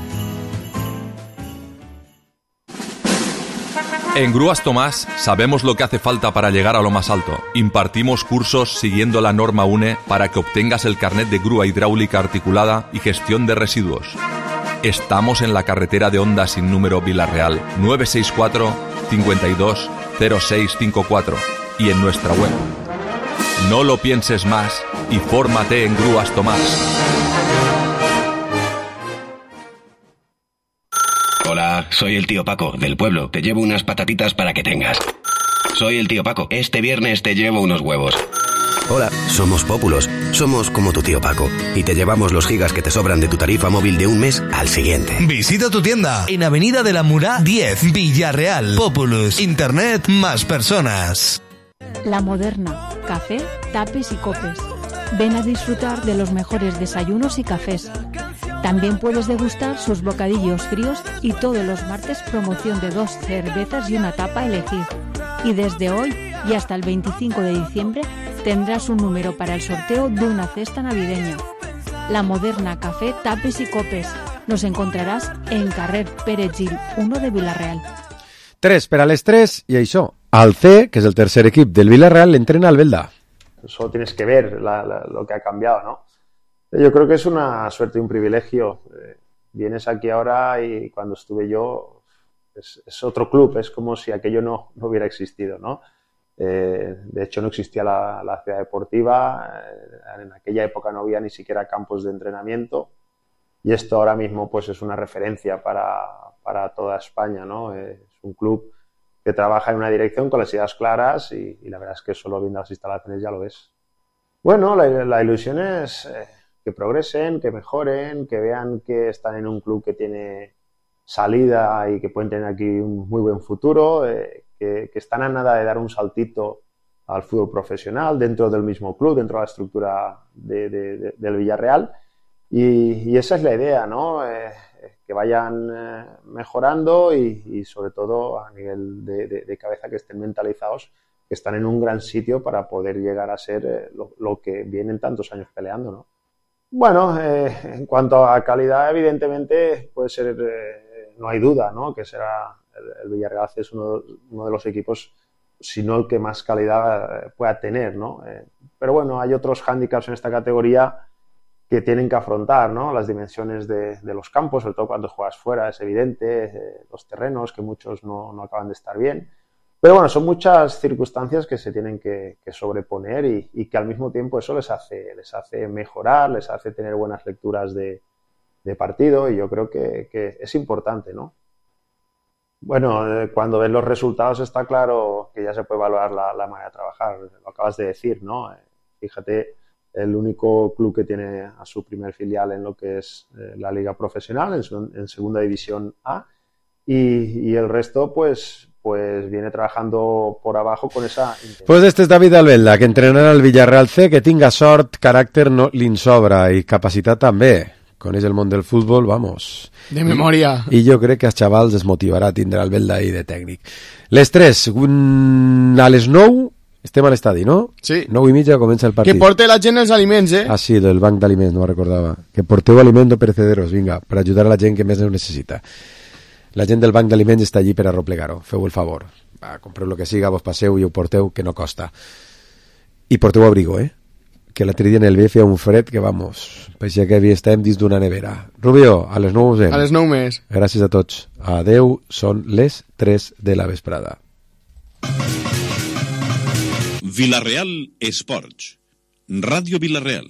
[SPEAKER 10] En Grúas Tomás sabemos lo que hace falta para llegar a lo más alto. Impartimos cursos siguiendo la norma UNE para que obtengas el carnet de grúa hidráulica articulada y gestión de residuos. Estamos en la carretera de Onda sin número Vila-real 964 52 0654 y en nuestra web. No lo pienses más y fórmate en Grúas Tomás.
[SPEAKER 11] Hola, soy el tío Paco, del pueblo. Te llevo unas patatitas para que tengas. Soy el tío Paco. Este viernes te llevo unos huevos.
[SPEAKER 13] Hola, somos Pópulos. Somos como tu tío Paco. Y te llevamos los gigas que te sobran de tu tarifa móvil de un mes al siguiente.
[SPEAKER 29] Visita tu tienda en Avenida de la Murá 10, Villarreal. Populus. Internet más personas.
[SPEAKER 16] La Moderna. Café, tapes y copes. Ven a disfrutar de los mejores desayunos y cafés. También puedes degustar sus bocadillos fríos y todos los martes promoción de 2 cervezas y una tapa a elegir. Y desde hoy y hasta el 25 de diciembre tendrás un número para el sorteo de una cesta navideña. La Moderna Café, Tapes y Copes. Nos encontrarás en Carrer Pere Gil 1 de Vila-real.
[SPEAKER 3] 3 per a les 3 i això. Al C, que és el tercer equip del Villarreal, l'entrena al Belda.
[SPEAKER 30] Solo tienes que ver lo que ha cambiado, ¿no? Yo creo que es una suerte y un privilegio. Vienes aquí ahora y cuando estuve yo es otro club, es como si aquello no hubiera existido, ¿no? De hecho no existía la ciudad deportiva, en aquella época no había ni siquiera campos de entrenamiento y esto ahora mismo pues es una referencia para toda España, ¿no? Es un club que trabaja en una dirección con las ideas claras y la verdad es que solo viendo las instalaciones ya lo ves. Bueno, la ilusión es que progresen, que mejoren, que vean que están en un club que tiene salida y que pueden tener aquí un muy buen futuro, que están a nada de dar un saltito al fútbol profesional dentro del mismo club, dentro de la estructura del Villarreal y esa es la idea, ¿no? Que vayan mejorando y sobre todo a nivel de cabeza que estén mentalizados, que están en un gran sitio para poder llegar a ser lo que vienen tantos años peleando, ¿no? Bueno, en cuanto a calidad, evidentemente puede ser, no hay duda, ¿no? Que será el Villarreal es uno de los equipos, si no el que más calidad pueda tener, ¿no? Pero bueno, hay otros hándicaps en esta categoría que tienen que afrontar, ¿no? Las dimensiones de los campos, sobre todo cuando juegas fuera, es evidente, los terrenos, que muchos no acaban de estar bien. Pero bueno, son muchas circunstancias que se tienen que sobreponer y que al mismo tiempo eso les hace mejorar, les hace tener buenas lecturas de partido y yo creo que es importante, ¿no? Bueno, cuando ves los resultados está claro que ya se puede valorar la manera de trabajar. Lo acabas de decir, ¿no? Fíjate, el único club que tiene a su primer filial en lo que es la liga profesional, en segunda división A, y el resto, pues viene trabajando por abajo con esa...
[SPEAKER 3] Pues este és David Albelda, que entrenarà el Villarreal C, que tinga sort, caràcter no li'n sobra i capacitat també. Coneix el món del futbol, vamos.
[SPEAKER 4] De memòria.
[SPEAKER 3] I jo crec que als xavals es motivarà a tindre Albelda ahí de tècnic. Les 3, a les 9, estem a l'estadi, no?
[SPEAKER 4] Sí.
[SPEAKER 3] 9:30 comença el partit.
[SPEAKER 4] Que porte la gent els aliments,
[SPEAKER 3] Ah, sí, del banc d'aliments, no me'n recordava. Que porteu aliments no perecederos, vinga, per ajudar a la gent que més ho necessita. La gent del banc d'aliments està allí per arroplegar-ho, feu el favor. Va, compreu el que siga, vos passeu i ho porteu, que no costa. I porteu abrigo, que l'altre dia en el B feia un fred que, vamos, paeixia que estàvem dins d'una nevera. Rubio, a les 9 us veiem.
[SPEAKER 4] A les 9 més.
[SPEAKER 3] Gràcies a tots. Adeu, són les 3 de la vesprada.
[SPEAKER 8] Villarreal Esports. Ràdio Villarreal.